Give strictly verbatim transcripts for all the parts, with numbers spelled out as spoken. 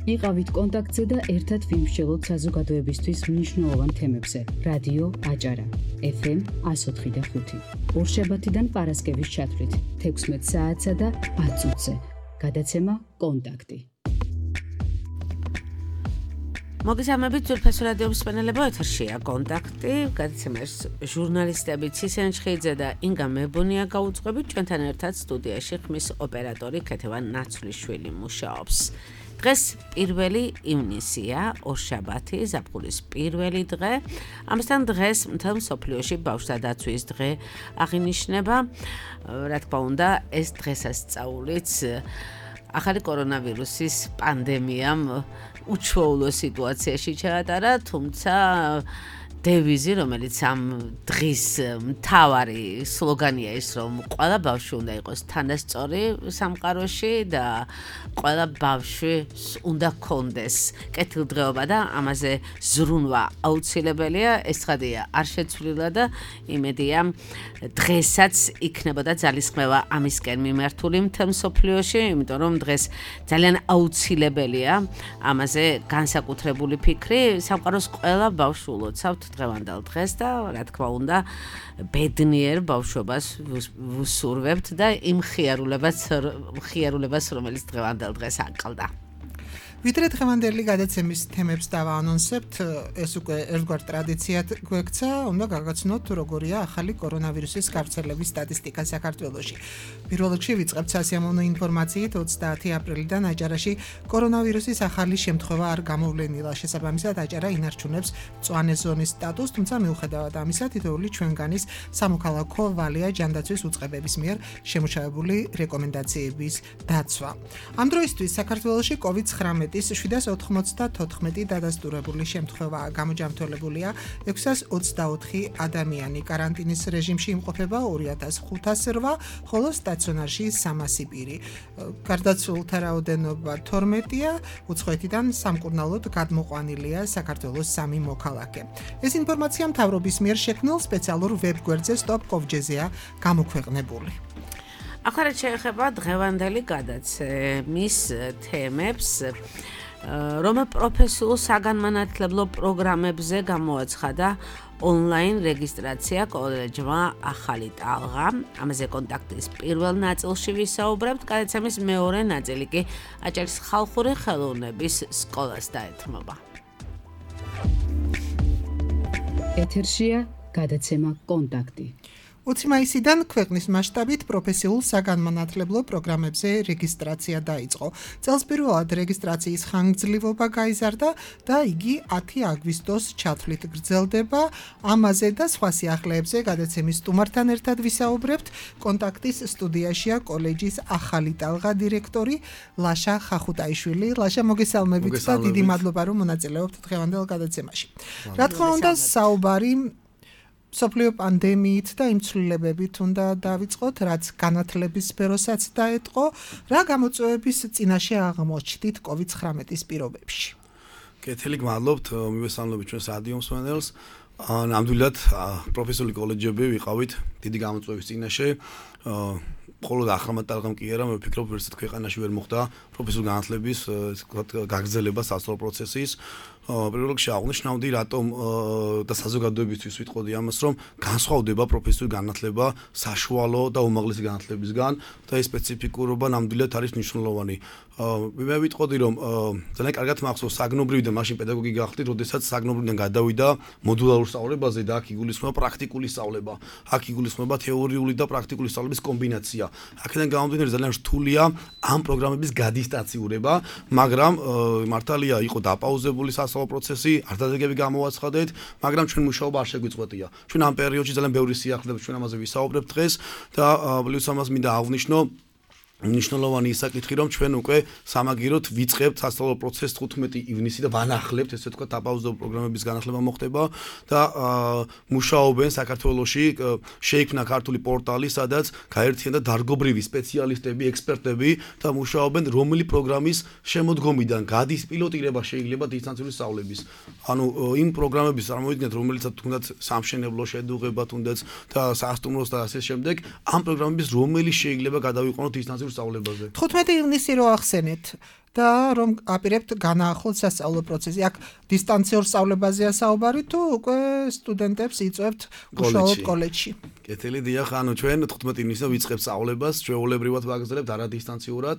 იყავით კონტაქტზე და ერთად ვიმსჯელოთ საზოგადოებისთვის მნიშვნელოვან თემებზე. რადიო აჭარა, ეფ ემ one oh four point five. ორშაბათიდან პარასკევის ჩათვლით თექვსმეტ საათსა და ათ წუთზე. გადაცემა კონტაქტი. მოგესალმებით ძვირფასო რადიო მსმენელებო, ეთერშია კონტაქტი. გადაცემას ჟურნალისტები ცისენ ჩხიძე და ინგა მებონია გაუძღვებით. ჩვენთან ერთად სტუდიაში ხმის ოპერატორი ქეთევან ნაცვლიშვილი მუშაობს. დღეს პირველი ივნისია, ორშაბათი, ზაფხულის პირველი დღე. ამასთან დღეს მთელ მსოფლიოში ბავშვთა დაცვის დღე აღინიშნება. რა თქმა უნდა, ეს დღესასწაულიც ახალი კორონავირუსის პანდემიამ უჩვეულო სიტუაციაში ჩაატარა, თუმცა დევიზი, რომელიც ამ დღის მთავარი სლოგანია ის, რომ ყველა ბავშვი უნდა იყოს თანასწორი სამყაროში და ყველა ბავშვი უნდა ჰქონდეს კეთილდღეობა და ამაზე ზრუნვა აუცილებელია. ეს ცხადია არ შეცვლილა და იმედია დღესაც იქნებოდა ძალისხმევა ამისკენ მიმართული მთელ მსოფლიოში, იმიტომ რომ დღეს ძალიან აუცილებელია ამაზე განსაკუთრებული ფიქრი. სამყაროს ყველა ბავშვს ულოცავთ დღევანდელ დღეს და რა თქმა უნდა ბედნიერ ბავშვობას ვუსურვებთ და იმ ხიარულებას ხიარულებას რომელიც დღევანდელ დღეს აკლდა. ვიდრე დღევანდელი გადაცემის თემებს დავაანონსებთ, ეს უკვე ერთგვარ ტრადიციად გვექცა, უნდა გაგაცნოთ როგორია ახალი კორონავირუსის გავრცელების სტატისტიკა საქართველოში. პირველ რიგში ვიწყებთ სასიამოვნო ინფორმაციით, ოცდაათი აპრილიდან აჭარაში კორონავირუსის ახალი შემთხვევა არ გამოვლენილა. შესაბამისად, აჭარა ინარჩუნებს მწვანე ზონის სტატუსს, თუმცა მიუხედავად ამისა, თითოეული ჩვენგანის სამოქალაქო ვალია ჯანდაცვის უწყებების მიერ შემუშავებული რეკომენდაციების დაცვა. ამ დროისთვის საქართველოში კოვიდ ცხრამეტ შვიდას ოთხმოცდათოთხმეტი დადასტურებული შემთხვევა გამოჯამთველებულია, ექვსას ოცდაოთხი ადამიანი კარანტინის რეჟიმში იმყოფება ორი ათას ხუთას რვა, ხოლო სტაციონარში სამასი პირი. გარდაცვლილთა რაოდენობა თორმეტია, უცხოეთიდან სამკურნალოდ გადმოყვანილია საქართველოს სამი მოქალაქე. ეს ინფორმაცია მთავრობის მიერ შექმნილ სპეციალურ ვებგვერდზე stop covid-ზე-ია გამოქვეყნებული. ახლა შეეხება დღევანდელი გადაცემის თემებს, რომ პროფესიულ საგანმანათლებლო პროგრამებზე გამოაცხადა ონლაინ რეგისტრაცია კოლეჯმა ახალი ტალღა. ამაზე კონტაქტის პირველ ნაწილში ვისაუბრებთ, გადაცემის მეორე ნაწილი კი აჭარის ხალხური ხელოვნების სკოლას დაეთმობა. ეთერშია გადაცემა კონტაქტი. ოცი მაისიდან ქვეყნის მასშტაბით პროფესიულ საგანმანათლებლო პროგრამებზე რეგისტრაცია დაიწყო. წელს პირველად რეგისტრაციის ხანგრძლივობა გაიზარდა და იგი ათი აგვისტოს ჩათვლით გრძელდება. ამაზე და სხვა სიახლეებზე გადაცემის სტუმართან ერთად ვისაუბრებთ. კონტაქტის სტუდიაშია კოლეჯის ახალი ტალღა დირექტორი ლაშა ხახუტაიშვილი. ლაშა, მოგესალმებით და დიდი მადლობა რომ მონაწილეობთ დღევანდელ გადაცემაში. რა თქმა უნდა, საუბარი მსოფლიო პანდემიით და იმ ცვლილებებით უნდა დავიწყოთ, რაც განათლების სფეროსაც დაეტყო. რა გამოწვევების წინაშე აღმოჩნდით კოვიდ ცხრამეტის პირობებში? კეთილი, გმადლობთ, მივესალმებით ჩვენს რადიო მსმენელს. ნამდვილად პროფესიული კოლეჯები ვიყავით დიდი გამოწვევის წინაშე. მხოლოდ ახალმა ტალღამ კი არა, მე ვფიქრობ, ვერცერთ ქვეყანაში ვერ მოხდა პროფესიული განათლების გაგრძელება სასწავლო პროცესის. პირველ რიგში აღნიშნავდი, რატომ და საზოგადოებისთვის ვიტყოდი ამას, რომ განსხვავდება პროფესიული განათლება საშუალო და უმაღლესი განათლებისგან და ეს სპეციფიკურობა ნამდვილად არის მნიშვნელოვანი. მე ვიტყოდი, რომ ძალიან კარგად მახსოვს საგნობრივიდან მაშინ პედაგოგი გახდით, როდესაც საგნობრივიდან გადავიდა მოდულარულ სწავლებაზე და აქ იგულისხმება პრაქტიკული სწავლება. აქ იგულისხმება თეორიული და პრაქტიკული სწავლების კომბინაცია. აქედან გამომდინარე ძალიან რთულია ამ პროგრამების გადისტაციურება, მაგრამ მართალია იყო დაპაუზებული სასწავლო პროცესი, არ დადებები გამოაცხადეთ, მაგრამ ჩვენ მუშაობა არ შეგვიწყვეტია. ჩვენ ამ პერიოდში ძალიან ბევრი სიახლეებს ჩვენ ამაზე ვისაუბრებთ დღეს და პლუს ამას მინდა აღვნიშნო მნიშვნელოვანი საკითხი, რომ ჩვენ უკვე სამაგიეროდ ვიწყებთ სასწავლო პროცესს თხუთმეტი ივნისი და ვანახლებთ, ესე ვთქვათ, დაპაუზებულ პროგრამების განახლება მოხდება და მუშაობენ საქართველოში, შეიქმნა ქართული პორტალი, სადაც გაერთიანდა დარგობრივი სპეციალისტები, ექსპერტები და მუშაობენ რომელი პროგრამის შემოდგომიდან გადის პილოტირება შეიძლება დისტანციური სწავლების. ანუ იმ პროგრამების წარმოვიდგინეთ, რომელიცაც თუნდაც სამშენებლო შედუღება, თუნდაც და სასტუმროს და ასე შემდეგ, ამ პროგრამების რომელი შეიძლება გადავიყვანოთ დისტანციურ სწავლებაზე. თხუთმეტი ივნისი რო ახსენეთ, და რომ აპირებთ განაახლოთ სასწავლო პროცესი. აქ დისტანციურ სწავლებაზეა საუბარი თუ უკვე სტუდენტებს იწვევთ უშუალოდ კოლეჯში? კეთილი დიახ, ანუ ჩვენ თხუთმეტი ივნისზე ვიწყებთ სწავლებას, ჩვეულებრივად ვაგრძელებთ არა დისტანციურად.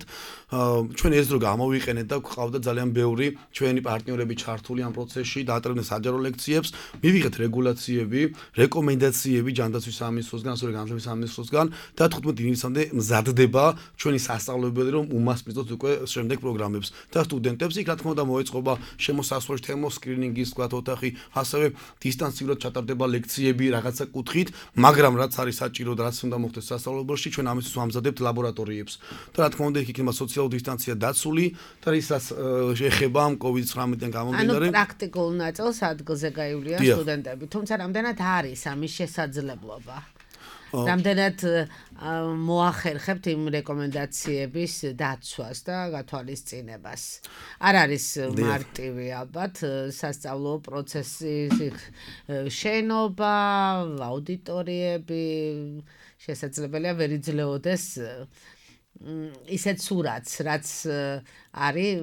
ჩვენ ეს დრო გამოვიყენეთ და გვყავდა ძალიან ბევრი ჩვენი პარტნიორები ჩართული ამ პროცესში, დაატრევდნენ საჯარო ლექციებს, მივიღეთ რეგულაციები, რეკომენდაციები ჯანდაცვის სამინისტროსგან, ასევე განათლების სამინისტროსგან და თხუთმეტი ივნისამდე მზადდება ჩვენი სასწავლებელი, რომ უმასპინძლოთ უკვე შემდეგ პროგრამებს და სტუდენტებს იქ რა თქმა უნდა მოეწყობა შემოსასვლელი თერმოსკრინინგის თქვათ ოთახი, ასევე დისტანციურად ჩატარდება ლექციები რაღაცა კუთხით, მაგრამ რაც არის საჭირო და რაც უნდა მოხდეს სასწავლებელში, ჩვენ ამისთვის ვამზადებთ ლაბორატორიებს. და რა თქმა უნდა, იქ იქნება სოციალური დისტანცია დაცული და ისაც ეხება ამ კოვიდ ცხრამეტიდან გამომდინარე. ანუ პრაქტიკულ ნაწილს ადგილზე გაივლიან სტუდენტები, თუმცა რამდენად არის ამის შესაძლებლობა? რამდენად მოახერხებთ იმ რეკომენდაციების დაცვას და გათვალისწინებას? არ არის მარტივი ალბათ სასწავლო პროცესის შენობა, აუდიტორიები, შესაძლებელია ვერ იძლეოდეს ისეთ სურათს, რაც არის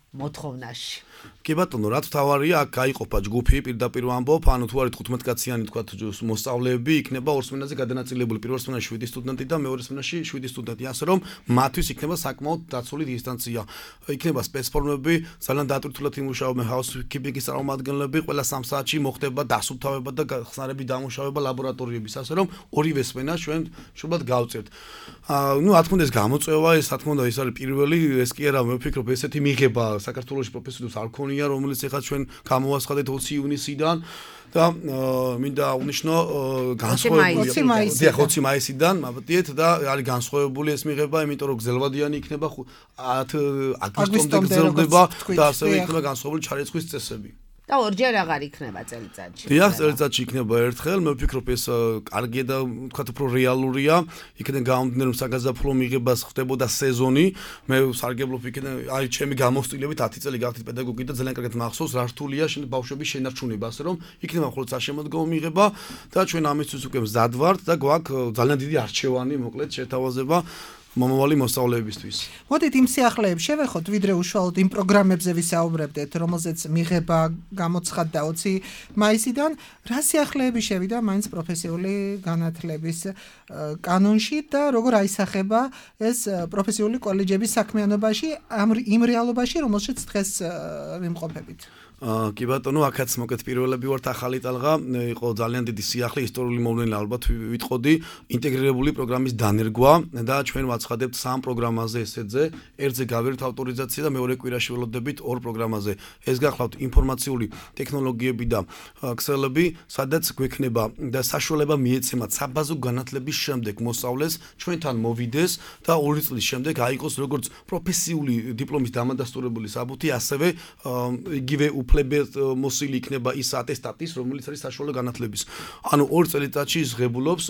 მოთხოვნაში. კი ბატონო, რაც თავარია, აქ გაიყოფა ჯგუფი, პირდაპირ ვამბობ, ანუ თუ არის თხუთმეტ კაციანი თქვათ მოსწავლეები, იქნება ორ სმენაზე გადანაწილებული, პირველ სმენაში შვიდი სტუდენტი და მეორე სმენაში შვიდი სტუდენტი, ასე რომ მათთვის იქნება საკმაოდ დაცული დისტანცია. იქნება სპეცფორმები, ძალიან დატვირთულად იმუშავებენ ჰაუსკიპინგის წარმომადგენლები, ყველა სამ საათში მოხდება დასუფთავება და ხსნარები დამუშავება ლაბორატორიების, ასე რომ ორივე სმენა ჩვენ შუბად გავწევთ. აა, ნუ რა თქმა უნდა ეს გამოწვევა, ეს რა თქმა უნდა ეს არის პირველი, ეს კი არა, მე ვფიქრობ ესეთი მიღება საქართველოში პროფესიულს არ ქონია, რომელიც ეხლა ჩვენ გამოვაცხადეთ ოცი ივნისიდან და მინდა აღნიშნო განსხვავებული დიახ ოცი მაისიდან, მაბტიეთ და არის განსხვავებული ეს მიღება, იმიტომ რომ გზელვადიანი იქნება ათ აგვისტომდე გზელდება და ასევე იქნება განსხვავებული ჩარიცხვის წესები. და ორჯერ აღარ იქნება წელიწადში. დიახ, წელიწადში იქნება ერთხელ, მე ვფიქრობ ეს კარგია და თქვათ უფრო რეალურია. იქიდან გამომდინარე რომ საგაზაფხულო მიღებას ხდებოდა სეზონი, მე სარგებლობ იქიდან, აი ჩემი გამოცდილებით ათი წელი გავხდით პედაგოგი და ძალიან კარგად მახსოვს რა რთულია ბავშვების შენარჩუნება, ასე რომ იქნება მხოლოდ საშემოდგომო მიღება და ჩვენ ამისთვის უკვე მზად ვართ და გვაქვს ძალიან დიდი არჩევანი, მოკლედ შეთავაზება მომავალი მოსწავლეებისთვის. მოდით იმ სიახლეებს შევეხოთ, ვიდრე უშუალოდ იმ პროგრამებზე ვისაუბრებდეთ, რომელზეც მიღება გამოცხადდა ოცი მაისიდან, რა სიახლეები შევიდა მაინც პროფესიული განათლების კანონში და როგორ აისახება ეს პროფესიული კოლეჯების საქმიანობაში იმ რეალობაში, რომელშიც დღეს ვიმყოფებით. აა კი ბატონო, აქაც მოკეთ პირველები ვართ ახალი ტალღა, იყო ძალიან დიდი სიახლე, ისტორიული მოვლენა ალბათ ვიტყოდი, ინტეგრირებული პროგრამის დანერგვა და ჩვენ ვაცხადებთ სამ პროგრამაზე ესეზე, ერთზე გავერთ ავტორიზაცია და მეორე კვირაში ველოდებით ორ პროგრამაზე. ეს გახლავთ ინფორმაციული ტექნოლოგიები და ქსელები, სადაც გვექნება და საშუალება მიეცემათ საბაზო განათლების შემდეგ მოსწავლეს ჩვენთან მოვიდეს და ორი წლის შემდეგ აიღოს როგორც პროფესიული დიპლომის დამადასტურებელი საბუთი, ასევე იგივე უფლებად მოსილი იქნება ის ატესტატის, რომელიც არის საშუალო განათლების. ანუ ორ წელიწადში ის ღებულობს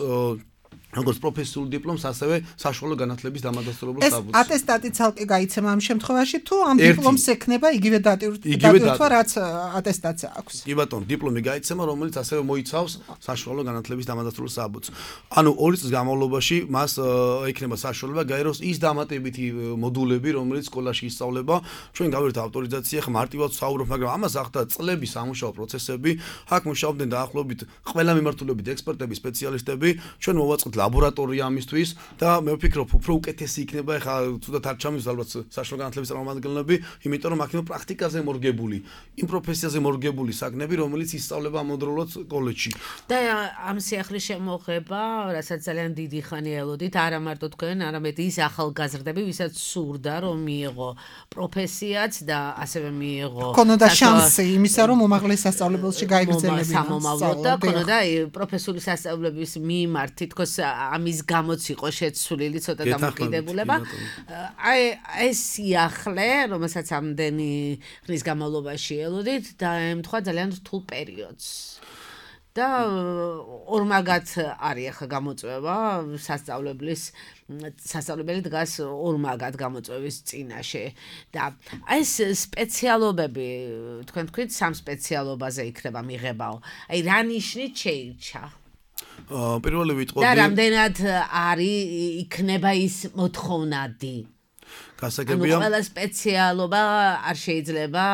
როგორც პროფესიულ დიპლომს, ასევე საშუალო განათლების დამადასტურებელ საბუთს. ეს ატესტატი ცალკე გაიცემა ამ შემთხვევაში, თუ ამ დიპლომს ექნება იგივე დატვირთვა, რაც ატესტატს აქვს. კი ბატონო, დიპლომი გაიცემა, რომელიც ასევე მოიცავს საშუალო განათლების დამადასტურებელ საბუთს. ანუ ორი წლის განმავლობაში მას ექნება საშუალება გაეროს ის დამატებითი მოდულები, რომელიც სკოლაში ისწავლება. ჩვენ გავერთ ავტორიზაცია, ხა მარტივად ვსაუბრობ, მაგრამ ამას ახდა წლების სამუშაო პროცესები. აქ მუშაობდნენ დაახლოებით ყველა მიმართულებით ექსპერტები, სპეციალისტები. ჩვენ მოვაწყდით ლაბორატორია ამისთვის და მე ვფიქრობ, უფრო უკეთესი იქნება, ეხლა თუნდაც არ ჩამის ალბათ საშუალო განათლების წარმომადგენლები, იმიტომ რომ აქ იქნება პრაქტიკაზე მორგებული, იმ პროფესიაზე მორგებული საგნები, რომელიც ისწავლება ამავდროულად კოლეჯში. და ამ სიახლის შემოღება, რასაც ძალიან დიდი ხანი ელოდით, არა მარტო თქვენ, არამედ ის ახალგაზრდები, ვისაც სურდა, რომ მიიღო პროფესიაც და ასევე მიიღო ქონოდა შანსი იმისა, რომ უმაღლეს სასწავლებელში გაიგრძელებინა სამომავლოდ და ქონოდა პროფესიული სასწავლებლების მიმართ თითქოს ამის გამოც იყო შეცვლილი ცოტა დამოკიდებულება. აი ეს სიახლე, რომელსაც ამდენი ხნის განმავლობაში ელოდით, დაემთხვა ძალიან რთულ პერიოდს. და ორმაგად არის ახლა გამოწვევა სასწავლებლის სასწავლებელი დგას ორმაგად გამოწვევის წინაშე და ეს სპეციალობები თქვენ თქვით სამ სპეციალობაზე იქნება მიღებაო. აი რა ნიშნით შეირჩა? პირველი ვიტყოდი და რამდენად არის იქნება ის მოთხოვნადი? გასაგებია. ანუ ყველა სპეციალობა არ შეიძლება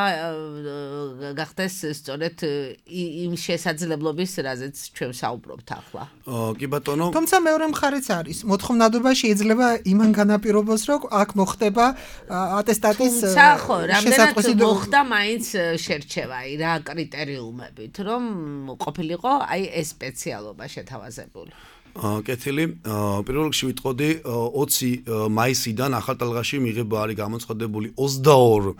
გახდეს სწორედ იმ შესაძლებლობის, რაზეც ჩვენ საუბრობთ ახლა. კი ბატონო. თუმცა მეორე მხარეც არის. მოთხოვნადობა შეიძლება იმან განაპირობოს, რომ აქ მოხდება ატესტატის თუმცა ხო, რამდენად მოხდა მაინც შერჩევა, აი რა კრიტერიუმებით, რომ ყოფილიყო აი ეს სპეციალობა შეთავაზებული. კეთილი, პირველ რიგში ვიტყოდი ოცი მაისიდან ახალტალღაში მიღება არის გამოცხადებული ოცდაორი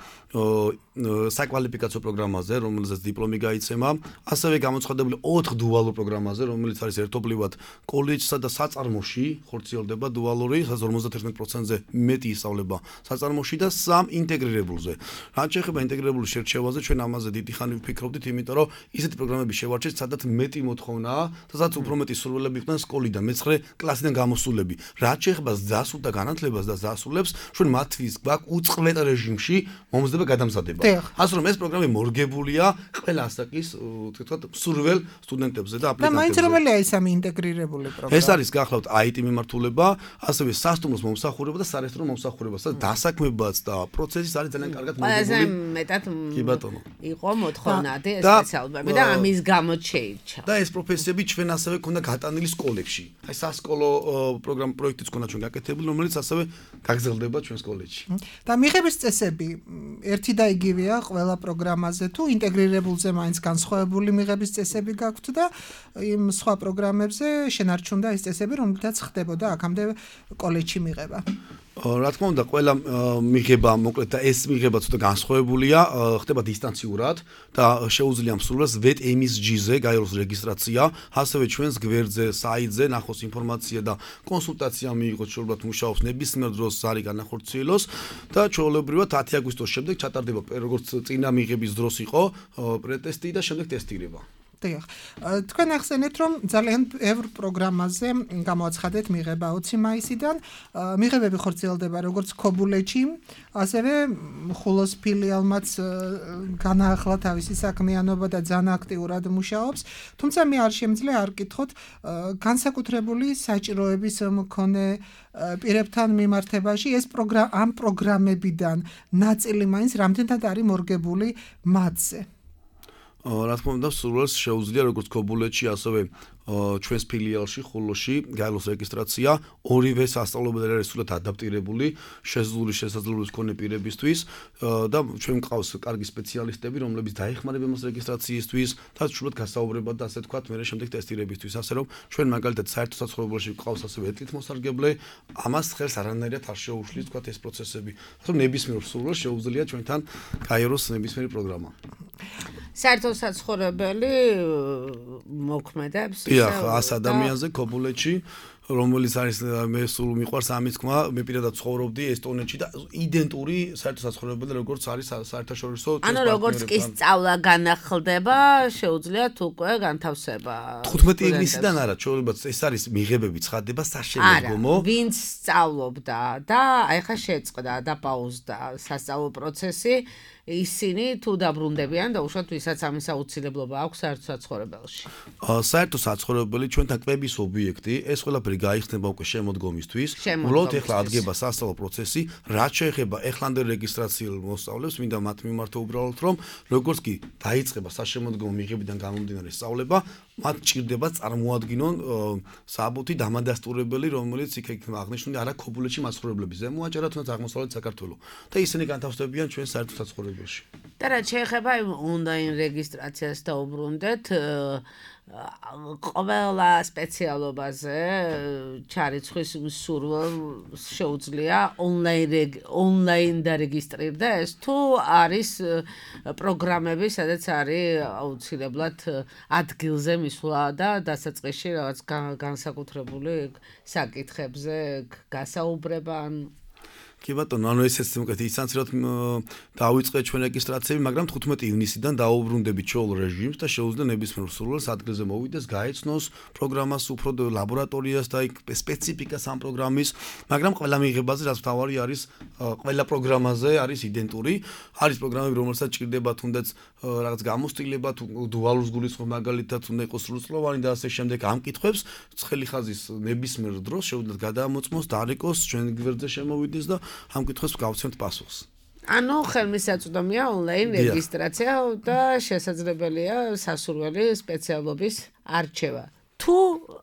საკვალიფიკაციო პროგრამაზე, რომელზეც დიპლომი გაიცემა, ასევე გამოცხადებული ოთხ დუალურ პროგრამაზე, რომელიც არის ერთობლივად კოლეჯსა და საწარმოში ხორციელდება დუალური, სადაც ორმოცდათერთმეტ პროცენტზე მეტი ისწავლება საწარმოში და სამ ინტეგრირებულზე. რაც შეეხება ინტეგრირებულ შერჩევაზე, ჩვენ ამაზე დიდი ხანი ვფიქრობდით, იმიტომ რომ ისეთი პროგრამები შევარჩიეთ, სადაც მეტი მოთხოვნაა და სადაც უფრო მეტი სურვილები იყვნენ სკოლიდან, მეცხრე კლასიდან გამოსულები. რაც შეეხება ზასულ და განათლებას და ზასულებს, ჩვენ მათთვის გვაქვს უწყლეთ რეჟიმში მომზადება გადამზადება. ასე რომ ეს პროგრამები მორგებულია ყველა ასაკის, თქვათ, სურვილ სტუდენტებზე და აპლიკანტებზე. და მაინც რომელია ეს ამი ინტეგრირებული პროგრამა? ეს არის გახლავთ აი ტი მიმართულება, ასევე სასტუმროს მომსახურება და სარესტორნო მომსახურება, სადაც დასაქმებაც და პროცესიც არის ძალიან კარგად მორგებული. ყველაზე მეტად კი ბატონო. იყო მოთხოვნადი ეს სპეციალობები და ამის გამო შეირჩა. და ეს პროფესიები ჩვენ ასევე ქონდა გატანილი სკოლებში. აი სასკოლო პროგრამ პროექტიც ქონდა ჩვენ გაკეთებული, რომელიც ასევე გაგრძელდება ჩვენს კოლეჯში. და მიღების წესები ერთი და იგივეა ყველა პროგრამაზე თუ ინტეგრირებულზე მაინც განსხვავებული მიღების წესები გაქვთ და იმ სხვა პროგრამებზე შენარჩუნდა ეს წესები, რომლითაც ხდებოდა აქამდე კოლეჯში მიღება. რა თქმა უნდა, ყველა მიღება, მოკლედ და ეს მიღება ცოტა განსხვავებულია, ხდება დისტანციურად და შეუძლია მსურველს ვეტ ემ ეს ჯი-ზე გაიაროს რეგისტრაცია, ასევე ჩვენს გვერდზე, საიტზე ნახოს ინფორმაცია და კონსულტაცია მიიღოს, შეუძლებლად მუშაობს ნებისმიერ დროს არის განახორციელოს და ჩვეულებრივად ათი აგვისტოს შემდეგ ჩატარდება, როგორც წინა მიღების დროს იყო პრეტესტი და შემდეგ ტესტირება. დიახ. თქვენ ახსენეთ, რომ ძალიან ბევრ პროგრამაზე გამოაცხადეთ მიღება ოცი მაისიდან. მიღებები ხორციელდება როგორც ქობულეთში, ასევე ხულოს ფილიალმაც განაახლა თავისი საქმიანობა და ძალიან აქტიურად მუშაობს. თუმცა მე არ შემიძლია არ კითხოთ განსაკუთრებული საჭიროების მქონე პირებთან მიმართებაში ეს პროგრამა ამ პროგრამებიდან ნაწილი მაინც რამდენად არის მორგებული მათზე. რა თქმა უნდა, სურვილს შეუძლია როგორც ქობულეთში, ასევე ჩვენს ფილიალში, ხულოში გაიაროს რეგისტრაცია, ორივე სასწავლებელი არის სულად ადაპტირებული შეზღუდული შესაძლებლობის მქონე პირებისთვის და ჩვენ მყავს კარგი სპეციალისტები, რომლებიც დაეხმარებიან მას რეგისტრაციისთვის და სულად გასაუბრება და ასე თქვათ, მე შემდეგ ტესტირებისთვის, ასე რომ ჩვენ მაგალითად საერთო საცხოვრებელში მყავს ასევე ეთლით მოსარგებლე, ამას ხელს არანაირად არ შეუშლის თქვათ ეს პროცესები. ასე რომ ნებისმიერ სურვილს შეუძლია ჩვენთან გაიაროს ნებისმიერი პროგრამა. საერთო საცხოვრებელი მოქმედებს დიახ, ას ადამიანზე ქობულეთში, რომელიც არის მე სულ მიყვარს ამის თქმა, მე პირადად ცხოვრობდი ესტონეთში და identური საერთო საცხოვრებელი როგორც არის საერთაშორისო ანუ როგორც კი სწავლა განახლდება, შეუძლიათ უკვე განთავსება. თხუთმეტი ივნისიდან არა, ჩვეულებრივ ეს არის მიღებები ცხადდება საშემდგომო. არა, ვინც სწავლობდა და აი ხა შეწყდა და პაუზდა სასწავლო პროცესი, ისინი თუ დაბრუნდებიან და უშუალოდ ვისაც ამის აუცილებლობა აქვს საერთო საცხოვრებელში. საერთო საცხოვრებელი ჩვენთან კვების ობიექტი, ეს ყველაფერი გაიხსნება უკვე შემოდგომისთვის. უბრალოდ ეხლა ადგება სასწავლო პროცესი, რაც შეეხება ეხლანდელ რეგისტრაციულ მოსწავლეებს, მინდა მათ მიმართო უბრალოდ რომ როგორც კი დაიწყება საშემოდგომო მიღებიდან გამომდინარე სწავლება, მათ ჭირდება წარმოადგინონ საბუთი დამადასტურებელი, რომელიც იქ იქნება აღნიშნული არა ქობულეთში მაცხოვრებლების ზემოაჭარა, თუნდაც აღმოსავლეთ საქართველო და ისინი განთავსდებიან ჩვენ საერთო საცხოვრებელში. და რაც შეეხება ონლაინ რეგისტრაციას დაუბრუნდეთ, ყველა სპეციალობაზე ჩარიცხვის სურვილს შეუძლია ონლაინ ონლაინ დარეგისტრირდა ეს თუ არის პროგრამები, სადაც არის აუცილებლად ადგილზე მისვლა და დასაწყისში რაღაც განსაკუთრებული საკითხებზე გასაუბრება ან კი ბატონო, ანუ ესეც უკეთ ისანციროთ დავიწყე ჩვენ რეგისტრაციები, მაგრამ თხუთმეტი ივნისიდან დაუბრუნდებით ჩოლ რეჟიმს და შეუძლია ნებისმიერ სურვილს ადგილზე მოვიდეს, გაეცნოს პროგრამას, უფრო ლაბორატორიას და სპეციფიკას ამ პროგრამის, მაგრამ ყველა მიღებაზე რაც მთავარი არის, ყველა პროგრამაზე არის იდენტური, არის პროგრამები, რომელსაც ჭირდება თუნდაც რაღაც გამოსტილება, თუ დუალურს გულისხმობ მაგალითად, უნდა იყოს სრულწლოვანი და ასე შემდეგ ამ კითხვებს ცხელი ხაზის ნებისმიერ დროს შეუძლიათ გადამოწმოს, დარეკოს, ჩვენ გვერდზე შემოვიდეს და ამ კითხვას გავცემთ პასუხს. ანუ ხელმისაწვდომია ონლაინ რეგისტრაცია და შესაძლებელია სასურველი სპეციალობის არჩევა. თუ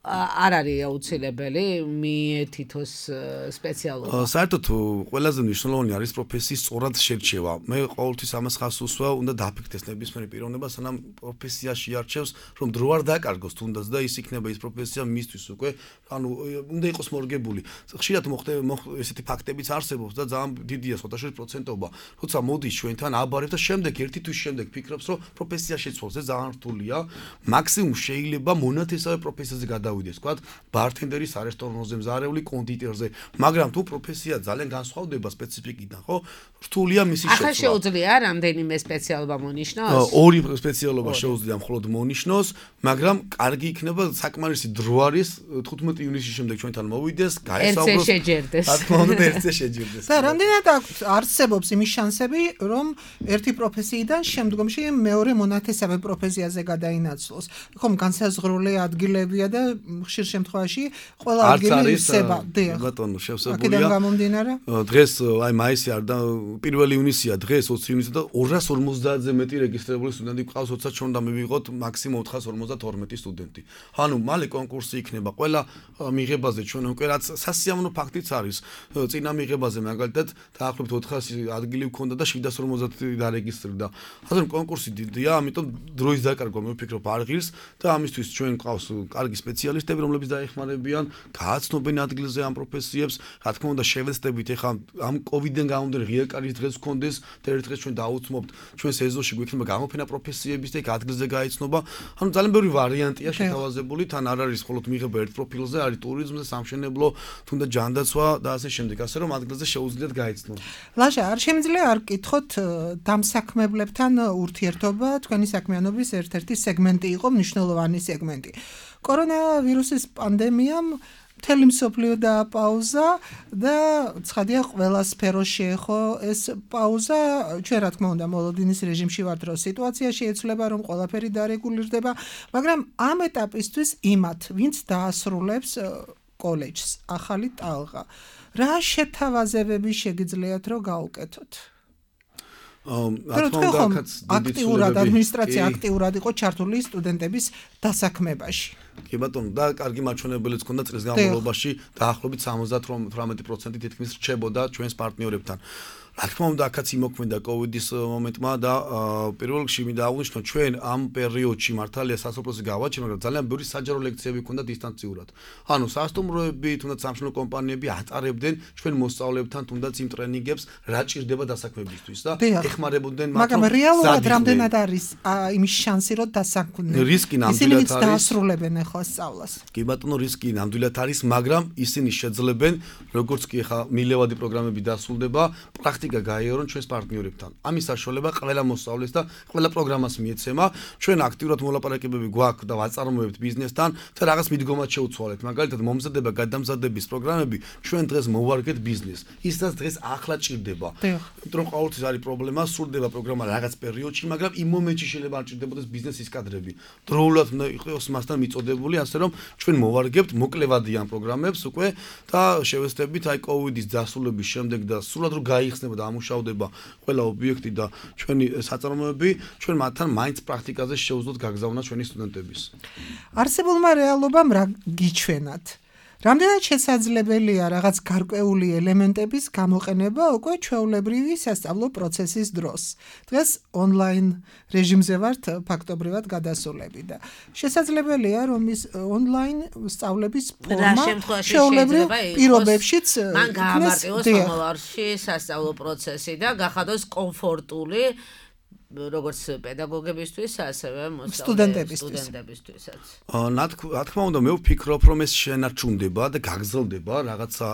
არ არის აუცილებელი მიეთითოს სპეციალობა. საერთოდ ყველაზე მნიშვნელოვანი არის პროფესიის სწორად შერჩევა. მე ყოველთვის ამას ხაზს უსვავ, უნდა დააფიქსირდეს ნებისმიერი პიროვნება, სანამ პროფესიაში არჩევს, რომ დრო არ დაკარგოს თუნდაც და ის იქნება ის პროფესია მისთვის უკვე, ანუ უნდა იყოს მორგებული. ხშირად მოხდება ესეთი ფაქტებიც არსებობს და ძალიან დიდია სოთაშორის პროცენტობა, როცა მოდის ჩვენთან აბარებს და შემდეგ ერთი თვის შემდეგ ფიქრობს, რომ პროფესია შეცვალს, ეს ძალიან რთულია. მაქსიმუმ შეიძლება მონათესავე პროფესიაზე გადავიდეს, თქვათ, ბართენდერის არესტორანზე, მზარეული კონდიტერზე, მაგრამ თუ პროფესია ძალიან განსხვავდება სპეციფიკიდან, ხო? რთულია მისი შეცვლა. ახლა შეუძლია რამდენიმე სპეციალობა მონიშნოს? ორი სპეციალობა შეუძლია მხოლოდ მონიშნოს, მაგრამ კარგი იქნება საკმარისი დრო არის თხუთმეტი ივნისის შემდეგ ჩვენთან მოვიდეს, ერთზე გაესაუბროს. შეჯერდეს. რა თქმა უნდა, ერთზე შეჯერდეს. და რამდენად არსებობს იმის შანსები, რომ ერთი პროფესიიდან შემდგომში მეორე მონათესავე პროფესიაზე გადაინაცვლოს? ხომ განსაზღვრული ადგილებია და ხშირ შემთხვევაში ყველა ადგილი ისება. ბატონო, შევსებულია. აქედან გამომდინარე? დღეს აი მაისი არ და პირველი ივნისია, დღეს ოცი ივნისია და ორას ორმოცდაათზე მეტი რეგისტრირებული სტუდენტი გვყავს, როცა ჩვენ უნდა მივიღოთ მაქსიმუმ ოთხას ორმოცდათორმეტი სტუდენტი. ანუ მალე კონკურსი იქნება ყველა მიღებაზე ჩვენ უკვე რაც სასიამოვნო ფაქტიც არის. წინა მიღებაზე მაგალითად დაახლოებით ოთხასი ადგილი გვქონდა და შვიდას ორმოცდაათი დარეგისტრირდა. ასე რომ კონკურსი დიდია, ამიტომ დროის დაკარგვა მე ვფიქრობ არ ღირს და ამისთვის ჩვენ გვყავს კარგი სპეციალისტები, რომლებიც დაეხმარებიან, გააცნობენ ადგილზე ამ პროფესიებს. რა თქმა უნდა, შევეცდებით ეხლა ამ კოვიდიდან გამომდინარე ღია კარის დღეს გქონდეს და ერთ დღეს ჩვენ დაუცნობთ ჩვენ სეზონში გვექნება გამოფენა პროფესიების და ადგილზე გაიცნობა. ანუ ძალიან ბევრი ვარიანტია შეთავაზებული, თან არ არის მხოლოდ მიღება ერთ პროფილზე, არის ტურიზმზე, სამშენებლო, თუნდაც ჯანდაცვა და ასე შემდეგ, ასე რომ ადგილზე შეუძლიათ გაიცნო. ლაშა, არ შემიძლია არ გკითხოთ დამსაქმებლებთან ურთიერთობა, თქვენი საქმიანობის ერთ-ერთი სეგმენტი იყო, მნიშვნელოვანი სეგმენტი. კორონავირუსის პანდემიამ მთელი მსოფლიო დააპაუზა და ცხადია ყველა სფეროს შეეხო ეს პაუზა. ჩვენ რა თქმა უნდა მოლოდინის რეჟიმში ვართ, რომ სიტუაცია შეეცვლება, რომ ყველაფერი დარეგულირდება, მაგრამ ამ ეტაპისთვის იმათ, ვინც დაასრულებს კოლეჯს, ახალი ტალღა. რა შეთავაზებები შეგიძლიათ რომ გაუკეთოთ? აქტიურად ადმინისტრაცია აქტიურად იყო ჩართული სტუდენტების დასაქმებაში. კი ბატონო, და კარგი მაჩვენებელიც ქონდა წლის განმავლობაში დაახლოებით სამოცდაათი პროცენტი თითქმის რჩებოდა ჩვენს პარტნიორებთან. რა თქმა უნდა, აქაც იმოქმედა კოვიდის მომენტმა და პირველ რიგში მინდა აღვნიშნო, ჩვენ ამ პერიოდში მართალია სასოფლოზე გავაჩერეთ, მაგრამ ძალიან ბევრი საჯარო ლექციები ქონდა დისტანციურად. ანუ სასტუმროები, თუნდაც სამშენებლო კომპანიები ატარებდნენ ჩვენ მოსწავლეებთან თუნდაც იმ ტრენინგებს, რა ჭირდება დასაქმებისთვის და ეხმარებოდნენ მათ. მაგრამ რეალურად რამდენად არის იმის შანსი, რომ დასაქმდნენ? რისკი ნამდვილად არის. დაასრულებენ ახლა სწავლას. კი ბატონო, რისკი ნამდვილად არის, მაგრამ ისინი შეძლებენ, როგორც კი ახლა მილევადი პროგრამები დასრულდება, პრაქტიკა გაიარონ ჩვენს პარტნიორებთან. ამის საშუალება ყველა მოსწავლეს და ყველა პროგრამას მიეცემა. ჩვენ აქტიურად მოლაპარაკებები გვაქვს და ვაწარმოებთ ბიზნესთან და რაღაც მიდგომად შევცვალეთ. მაგალითად, მომზადება გადამზადების პროგრამები ჩვენ დღეს მოვარგეთ ბიზნესს. ისაც დღეს ახლა ჭირდება. იმიტომ რომ ყოველთვის არის პრობლემა, სრულდება პროგრამა რაღაც პერიოდში, მაგრამ იმ მომენტში შეიძლება არ ჭირდებოდეს ბიზნესის კადრები. დროულად უნდა იყოს მასთან მიწოდებული, ასე რომ ჩვენ მოვარგებთ მოკლევადიან ამ პროგრამებს უკვე და შევეცდებით აი კოვიდის დასრულების შემდეგ და სრულად რომ გაიხსნება და ამუშავდება ყველა ობიექტი და ჩვენი საწარმოები, ჩვენ მათთან მაინც პრაქტიკაზე შევძლოთ გაგზავნა ჩვენი სტუდენტების. არსებულმა რეალობამ რა გიჩვენათ? რამდენად შესაძლებელია რაღაც გარკვეული ელემენტების გამოყენება უკვე ჩვეულებრივი სასწავლო პროცესის დროს? დღეს ონლაინ რეჟიმზე ვართ ფაქტობრივად გადასულები და შესაძლებელია რომ ის ონლაინ სწავლების ფორმა ჩვეულებრივ პირობებშიც მან გაამარტივოს მომავალში სასწავლო პროცესი და გახადოს კომფორტული როგორც პედაგოგებისთვის, ასევე სტუდენტებისთვისაც. რა თქმა უნდა, მე ვფიქრობ, რომ ეს შენარჩუნდება და გაგრძელდება რაღაცა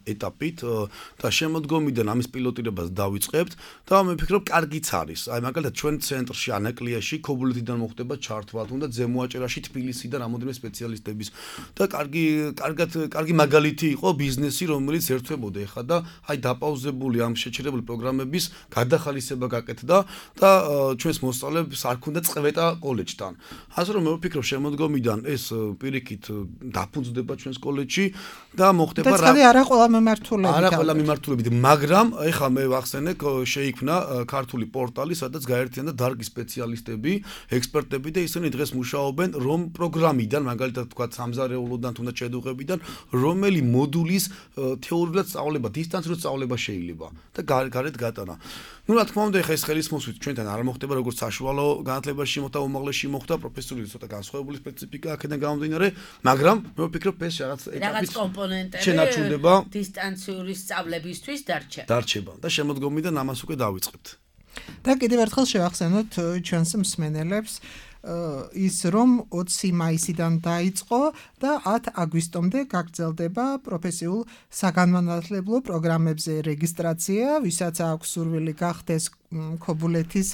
ეტაპით და შემოდგომიდან ამის პილოტირებას დავიწყებთ და მე ვფიქრობ, კარგიც არის. აი მაგალითად, ჩვენ ცენტრში ანაკლიაში ქობულეთიდან მოხდება ჩართვა, თუნდაც ზემოაჭერაში თბილისიდან რამოდენიმე სპეციალისტების და კარგი კარგად კარგი მაგალითი იყო ბიზნესი, რომელიც ერთვებოდა ეხლა და აი დაპაუზებული ამ შეჩერებული პროგრამების გადახალისება გაკეთდა და ჩვენს მოსწავლეებს არ ქონდა წვეტა კოლეჯთან. ასე რომ მე ვფიქრობ შემოდგომიდან ეს პირიქით დაფუძნდება ჩვენს კოლეჯში და მოხდება რა და არა ყველა მიმართულებით. არა ყველა მიმართულებით, მაგრამ ეხლა მე ვახსენე შეიქმნა ქართული პორტალი, სადაც გაერთიანდა დარგი სპეციალისტები, ექსპერტები და ისინი დღეს მუშაობენ რომ პროგრამიდან, მაგალითად თქვა სამზარეულოდან თუნდაც შედუღებიდან, რომელი მოდულის თეორიულად სწავლება, დისტანციურად სწავლება შეიძლება და გარეთ გატანა. Ну, რა თქმა უნდა, ეხლა ეს ხელისმოსვით ჩვენთან არ მოხდება როგორც საშუალო განათლებაში მოხდა, უმაღლესში მოხდა, პროფესიული ცოტა განსხვავებული სპეციფიკა აქედან გამომდინარე, მაგრამ მე ვფიქრობ ეს რაღაც ეტაპის კომპონენტები შენარჩუნდება დისტანციური სწავლებისთვის დარჩება. დარჩება და შემოდგომიდან ამას უკვე დავიწყებთ. და კიდევ ერთხელ შევახსენოთ ჩვენს მსმენელებს ის რომ ოცი მაისიდან დაიწყო და ათი აგვისტომდე გაგრძელდება პროფესიულ საგანმანათლებლო პროგრამებზე რეგისტრაცია, ვისაც აქვს სურვილი გახდეს ქობულეთის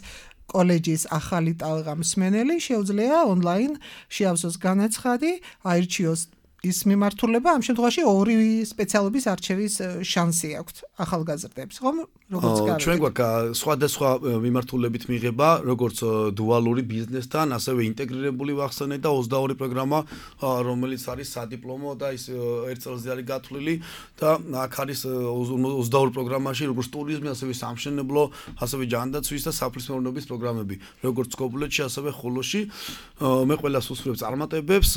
კოლეჯის ახალი ტალღა მსმენელი, შეუძლია ონლაინ შეავსოს განაცხადი, აირჩიოს ის მიმართულება, ამ შემთხვევაში ორი სპეციალობის არჩევის შანსი აქვს ახალგაზრდებს, ხომ? როგორც გავიგეთ. ჩვენ გვაქვს სხვადასხვა მიმართულებით მიღება, როგორც დუალური ბიზნესთან, ასევე ინტეგრირებული ვახსენე და ოცდაორი პროგრამა, რომელიც არის სადიპლომო და ის ერთ წელზე არის გათვლილი და აქ არის ოცდაორი პროგრამაში, როგორც ტურიზმი, ასევე სამშენებლო, ასევე ჯანდაცვის და საფრთხეოვნების პროგრამები, როგორც ქობულეთში, ასევე ხოლოში. მე ყველას უსურვებ წარმატებებს,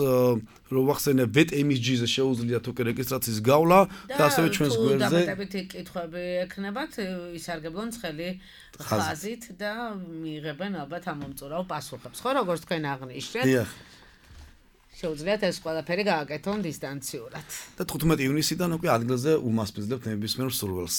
რომ ვახსენე ვეტ ემ ეს ჯი-ზე შეუძლიათ უკვე რეგისტრაციის გავლა და ასევე ჩვენს გვერდზე და დამატებითი კითხვები ექნებათ ისარგებლონ ცხელი ხაზით და მიიღებენ ალბათ ამ მომწურავ პასუხებს. ხო, როგორც თქვენ აღნიშნეთ. დიახ. შეუძლიათ ეს ყველაფერი გააკეთონ დისტანციურად. და თხუთმეტი ივნისიდან უკვე ადგილზე უმასპინძლებთ ნებისმიერ მსურველს.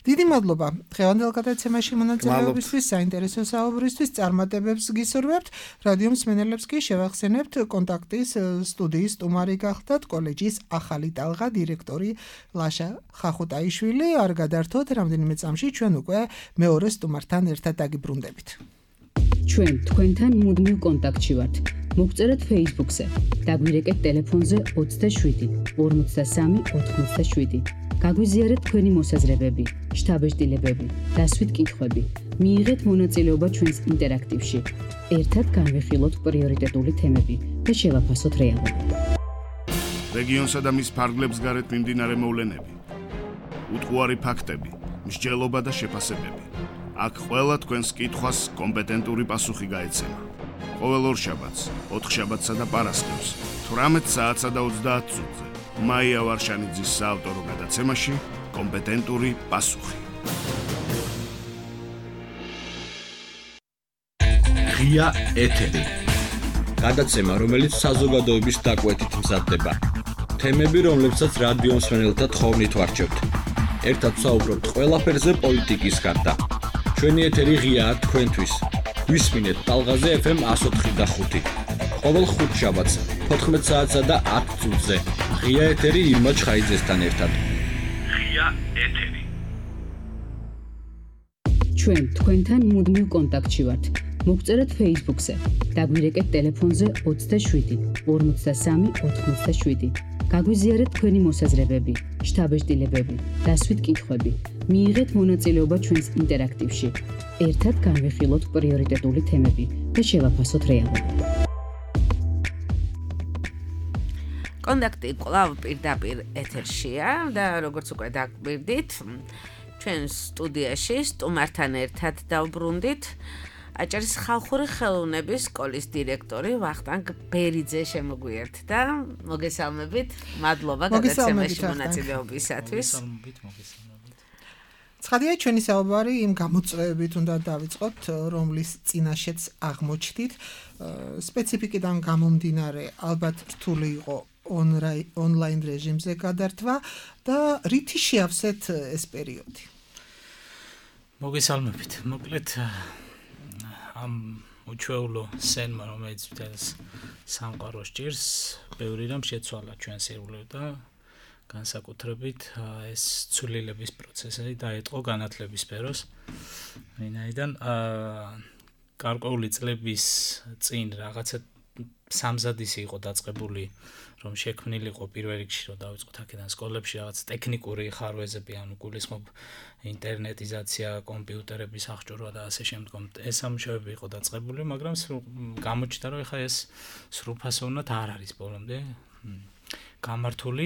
დიდი მადლობა დღევანდელ გადაცემაში მონაწილეობისთვის, საინტერესო საუბრისთვის, წარმატებებს გისურვებთ. რადიო მსმენელებს კი შევახსენებთ კონტაქტის სტუდიის სტუმარი გახდათ კოლეჯის ახალი ტალღა დირექტორი ლაშა ხახუტაიშვილი. არ გადართოთ, რამდენიმე წამში ჩვენ უკვე მეორე სტუმართან ერთად დაგიბრუნდებით. ჩვენ თქვენთან მუდმივ კონტაქტში ვართ. მოგწერეთ Facebook-ზე, დაგვირეკეთ ტელეფონზე ოცდაშვიდი ორმოცდასამი ოთხმოცდაშვიდი. გაგვიზიარეთ თქვენი მოსაზრებები, შთაბეჭდილებები, დასვით კითხვები. მიიღეთ მონაწილეობა ჩვენს ინტერაქტივში. ერთად განვიხილოთ პრიორიტეტული თემები და შევაფასოთ რეალობა. რეგიონსა და მის ფარგლებს გარეთ მიმდინარე მოვლენები, უტყუარი ფაქტები, მსჯელობა და შეფასებები. აქ ყველა თქვენს კითხვას კომპეტენტური პასუხი გაეცემა. ყოველ ორშაბათს, ოთხშაბათსა და პარასკევს, თვრამეტ საათსა და ოცდაათ წუთზე. მაია ვარშანიძის საავტორო გადაცემაში კომპეტენტური პასუხი. ღია ეთერი. გადაცემა, რომელიც საზოგადოების დაკვეთით მზადდება. თემები, რომლებსაც რადიო მსმენელთა თხოვნით ვარჩევთ. ერთად ვსაუბრობთ ყველაფერზე პოლიტიკის გარდა. ჩვენი ეთერი ღიაა თქვენთვის. გვისმინეთ ტალღაზე ეფ ემ εκατო ოთხი და ხუთი. ყოველ ხუთშაბათს, თოთხმეტ საათსა და ათ წუთზე. ღია ეთერი ირმა ჩხაიძესთან ერთად. ღია ეთერი. ჩვენ თქვენთან მუდმივ კონტაქტში ვართ. მოგწერეთ Facebook-ზე, დაგვირეკეთ ტელეფონზე ოცდაშვიდი ორმოცდასამი ოთხმოცდაშვიდი. გაგვიზიარეთ თქვენი მოსაზრებები, შთაბეჭდილებები, დასვით კითხვები. მიიღეთ მონაწილეობა ჩვენს ინტერაქტივში. ერთად განვიხილოთ პრიორიტეტული თემები და შევაფასოთ რეალობა. კონტაქტი კვლავ პირდაპირ ეთერშია და როგორც უკვე დაგვირდით, ჩვენ სტუდიაში სტუმართან ერთად დავბრუნდით აჭარის ხალხური ხელოვნების სკოლის დირექტორი ვახტანგ ბერიძე შემოგვიერთდა. მოგესალმებით, მადლობა გადაცემაში მონაწილეობისათვის. მოგესალმებით, მოგესალმებით. ცხადია, ჩვენი საუბარი იმ გამოწვევებით უნდა დავიწყოთ, რომლის წინაშეც აღმოჩნდით. სპეციფიკიდან გამომდინარე, ალბათ რთული იყო ონლაინ რეჟიმზე გადართვა და რითი შეავსეთ ეს პერიოდი? მოგესალმებით. მოკლედ ამ უჩვეულო სენმა, რომელიც მთელს სამყაროს ჭირს, ბევრი რამ შეცვალა ჩვენს ეროვნულ და განსაკუთრებით ეს ცვლილების პროცესი დაიწყო განათლების სფეროს. ვინაიდან გარკვეული წლების წინ რაღაცა სამზად ისი იყო დაწყებული, რომ შექმნილიყო პირველ რიგში, რომ დავიწყოთ აქედან სკოლებში რაღაც ტექნიკური ხარვეზები, ანუ გულისხმობ ინტერნეტიზაცია, კომპიუტერების აღჭურვა და ასე შემდგომ. ეს სამუშაოები იყო დაწყებული, მაგრამ გამოჩნდა, რომ ეხლა ეს სრულფასოვნად არ არის ბოლომდე გამართული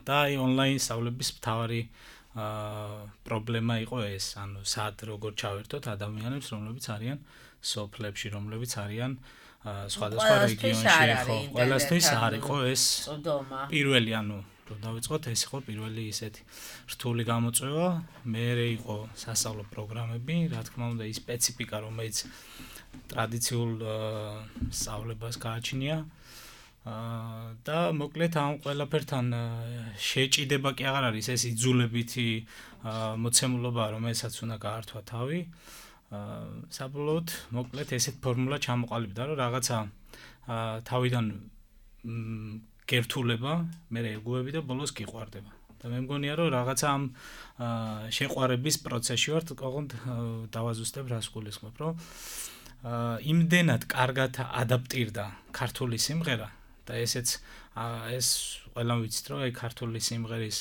და აი ონლაინ სწავლების მთავარი პრობლემა იყო ეს, ანუ სად როგორ ჩავერთოთ ადამიანებს, რომლებიც არიან სოფლებში, რომლებიც არიან სხვადასხვა რეგიონში, ხო, ყველასთვის არ იყო ეს პირველი, ანუ რომ დავიწყოთ, ეს იყო პირველი ისეთი რთული გამოწვევა, მერე იყო სასწავლო პროგრამები, რა თქმა უნდა, ის სპეციფიკა, რომელიც ტრადიციულ სწავლებას გააჩნია და მოკლედ ამ ყველაფერთან შეჭიდება კი აღარ არის ეს იძულებითი მოცემულობა, რომელსაც უნდა გაართვა თავი. საბოლოოდ მოკლედ ესეთ ფორმულა ჩამოყალიბდა, რომ რაღაცა თავიდან გერთულება, მერე ეგუები და ბოლოს გიყვარდება. და მე მგონია, რომ რაღაცა ამ შეყვარების პროცესში ვართ, ოღონდ დავაზუსტებ რას გულისხმობ, რომ იმდენად კარგად ადაპტირდა ქართული სიმღერა და ესეც ეს ყველამ ვიცით, რომ აი ქართული სიმღერის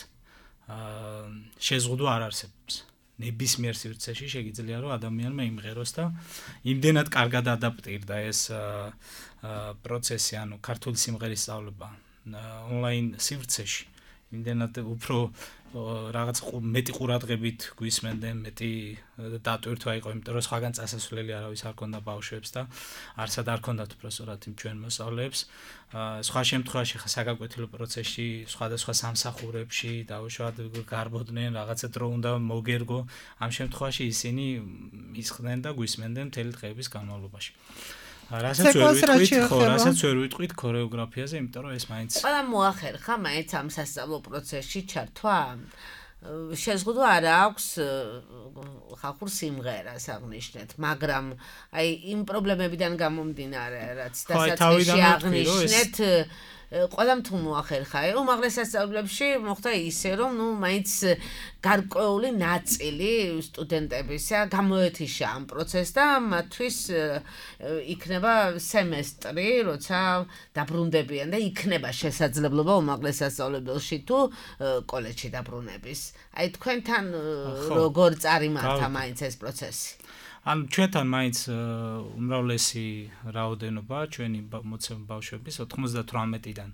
შეზღუდვა არ არსებობს. ნებისმიერ სივრცეში შეგიძლია რომ ადამიანმა იმღეროს და იმდენად კარგად ადაპტირდა ეს პროცესი, ანუ ქართული სიმღერის სწავლება ონლაინ სივრცეში. იმდენად უფრო რაღაც მეტი ყურადღებით გვისმენდნენ, მეტი დატვირთვა იყო, იმიტომ რომ სხვაგან წასასვლელი არავის არ ქონდა ბავშვებს და არცად არ ქონდათ უბრალოდ იმ ჩვენ მოსწავლეებს. სხვა შემთხვევაში ხა საგაკვეთილო პროცესში, სხვადასხვა სამსახურებში დაუშვათ გარბოდნენ, რაღაცა დრო უნდა მოგერგო. ამ შემთხვევაში ისინი ისხდნენ და გვისმენდნენ მთელი დღეების განმავლობაში. რასაც ვერ ვიტყვით, ხო, რასაც ვერ ვიტყვით ქორეოგრაფიაზე, იმიტომ რომ ეს მაინც ყველა მოახერხა მაინც ამ სასწავლო პროცესში ჩართვა. შეზღუდვა არ აქვს ხალხურ სიმღერას აღნიშნეთ, მაგრამ აი იმ პრობლემებიდან გამომდინარე, რაც დასაწყისში აღნიშნეთ, ყველამ თუ მოახერხა, უმაღლეს სასწავლებლებში მოხდა ისე, რომ ნუ მაინც გარკვეული ნაწილი სტუდენტებისა გამოეთიშა ამ პროცესს და მათთვის იქნება სემესტრი, როცა დაბრუნდებიან და იქნება შესაძლებლობა უმაღლეს სასწავლებელში თუ კოლეჯში დაბრუნების. აი თქვენთან როგორ წარიმართა მაინც ეს პროცესი? ანუ ჩვენთან მაინც უმრავლესი რაოდენობა ჩვენი მოცემული ბავშვების ოთხმოცდათვრამეტიდან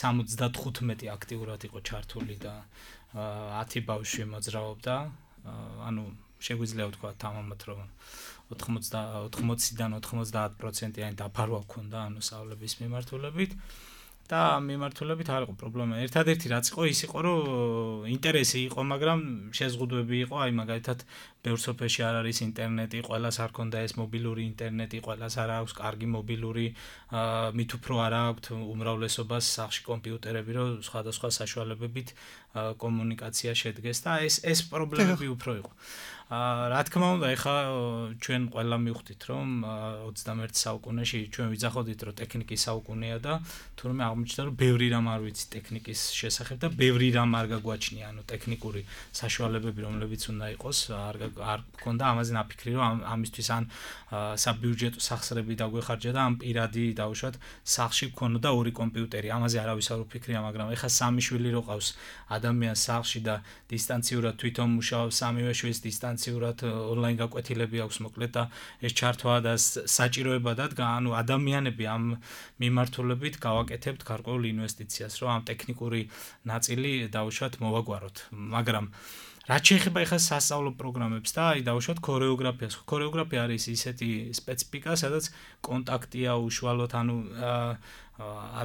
სამოცდათხუთმეტი აქტიურად იყო ჩართული და ათი ბავშვი მოძრაობდა. ანუ შეგვიძლია ვთქვათ თამამად, რომ ოთხმოცდან ოთხმოცდაათ პროცენტიანი დაფარვა ჰქონდა ანუ სწავლების მიმართულებით. და მიმართულებით არ იყო პრობლემა. ერთადერთი რაც იყო, ის იყო, რომ ინტერესი იყო, მაგრამ შეზღუდვები იყო, აი მაგალითად, ბევრ სოფელში არ არის ინტერნეტი, ყველას არ ქონდა ეს მობილური ინტერნეტი, ყველას არ აქვს კარგი მობილური, მით უფრო არ აქვს უმრავლესობას სახლში კომპიუტერები, რომ სხვადასხვა საშუალებებით კომუნიკაცია შედგეს და ეს ეს პრობლემები უფრო იყო. რა თქმა უნდა, ეხლა ჩვენ ყველა მივხვდით, რომ ოცდამეერთე საუკუნეში ჩვენ ვიძახოდით, რომ ტექნიკის საუკუნეა და თურმე აღმოჩნდა, რომ ბევრი რამ არ ვიცი ტექნიკის შესახებ და ბევრი რამ არ გაგვაჩნია, ანუ ტექნიკური საშუალებები, რომლებიც უნდა იყოს, არ არ გქონდა ამაზე ნაფიქრი, რომ ამისთვის ან საბიუჯეტო სახსრები დაგვეხარჯა და ამ პირადი დაუშვათ სახლში გქონოდა ორი კომპიუტერი. ამაზე არავის არ უფიქრია, მაგრამ ეხლა სამი შვილი რო ყავს ადამიანს სახლში და დისტანციურად თვითონ მუშაობს, სამივე შვილს დისტანციურად ონლაინ გაკვეთილები აქვს მოკლედ და ეს ჩართვა და საჭიროება დადგა, ანუ ადამიანები ამ მიმართულებით გავაკეთებთ გარკვეულ ინვესტიციას, რომ ამ ტექნიკური ნაწილი დაუშვათ მოვაგვაროთ. მაგრამ რაც შეეხება ახლა სასწავლო პროგრამებს და აი დავუშვათ ქორეოგრაფიას. ქორეოგრაფია არის ისეთი სპეციფიკა, სადაც კონტაქტია უშუალოდ, ანუ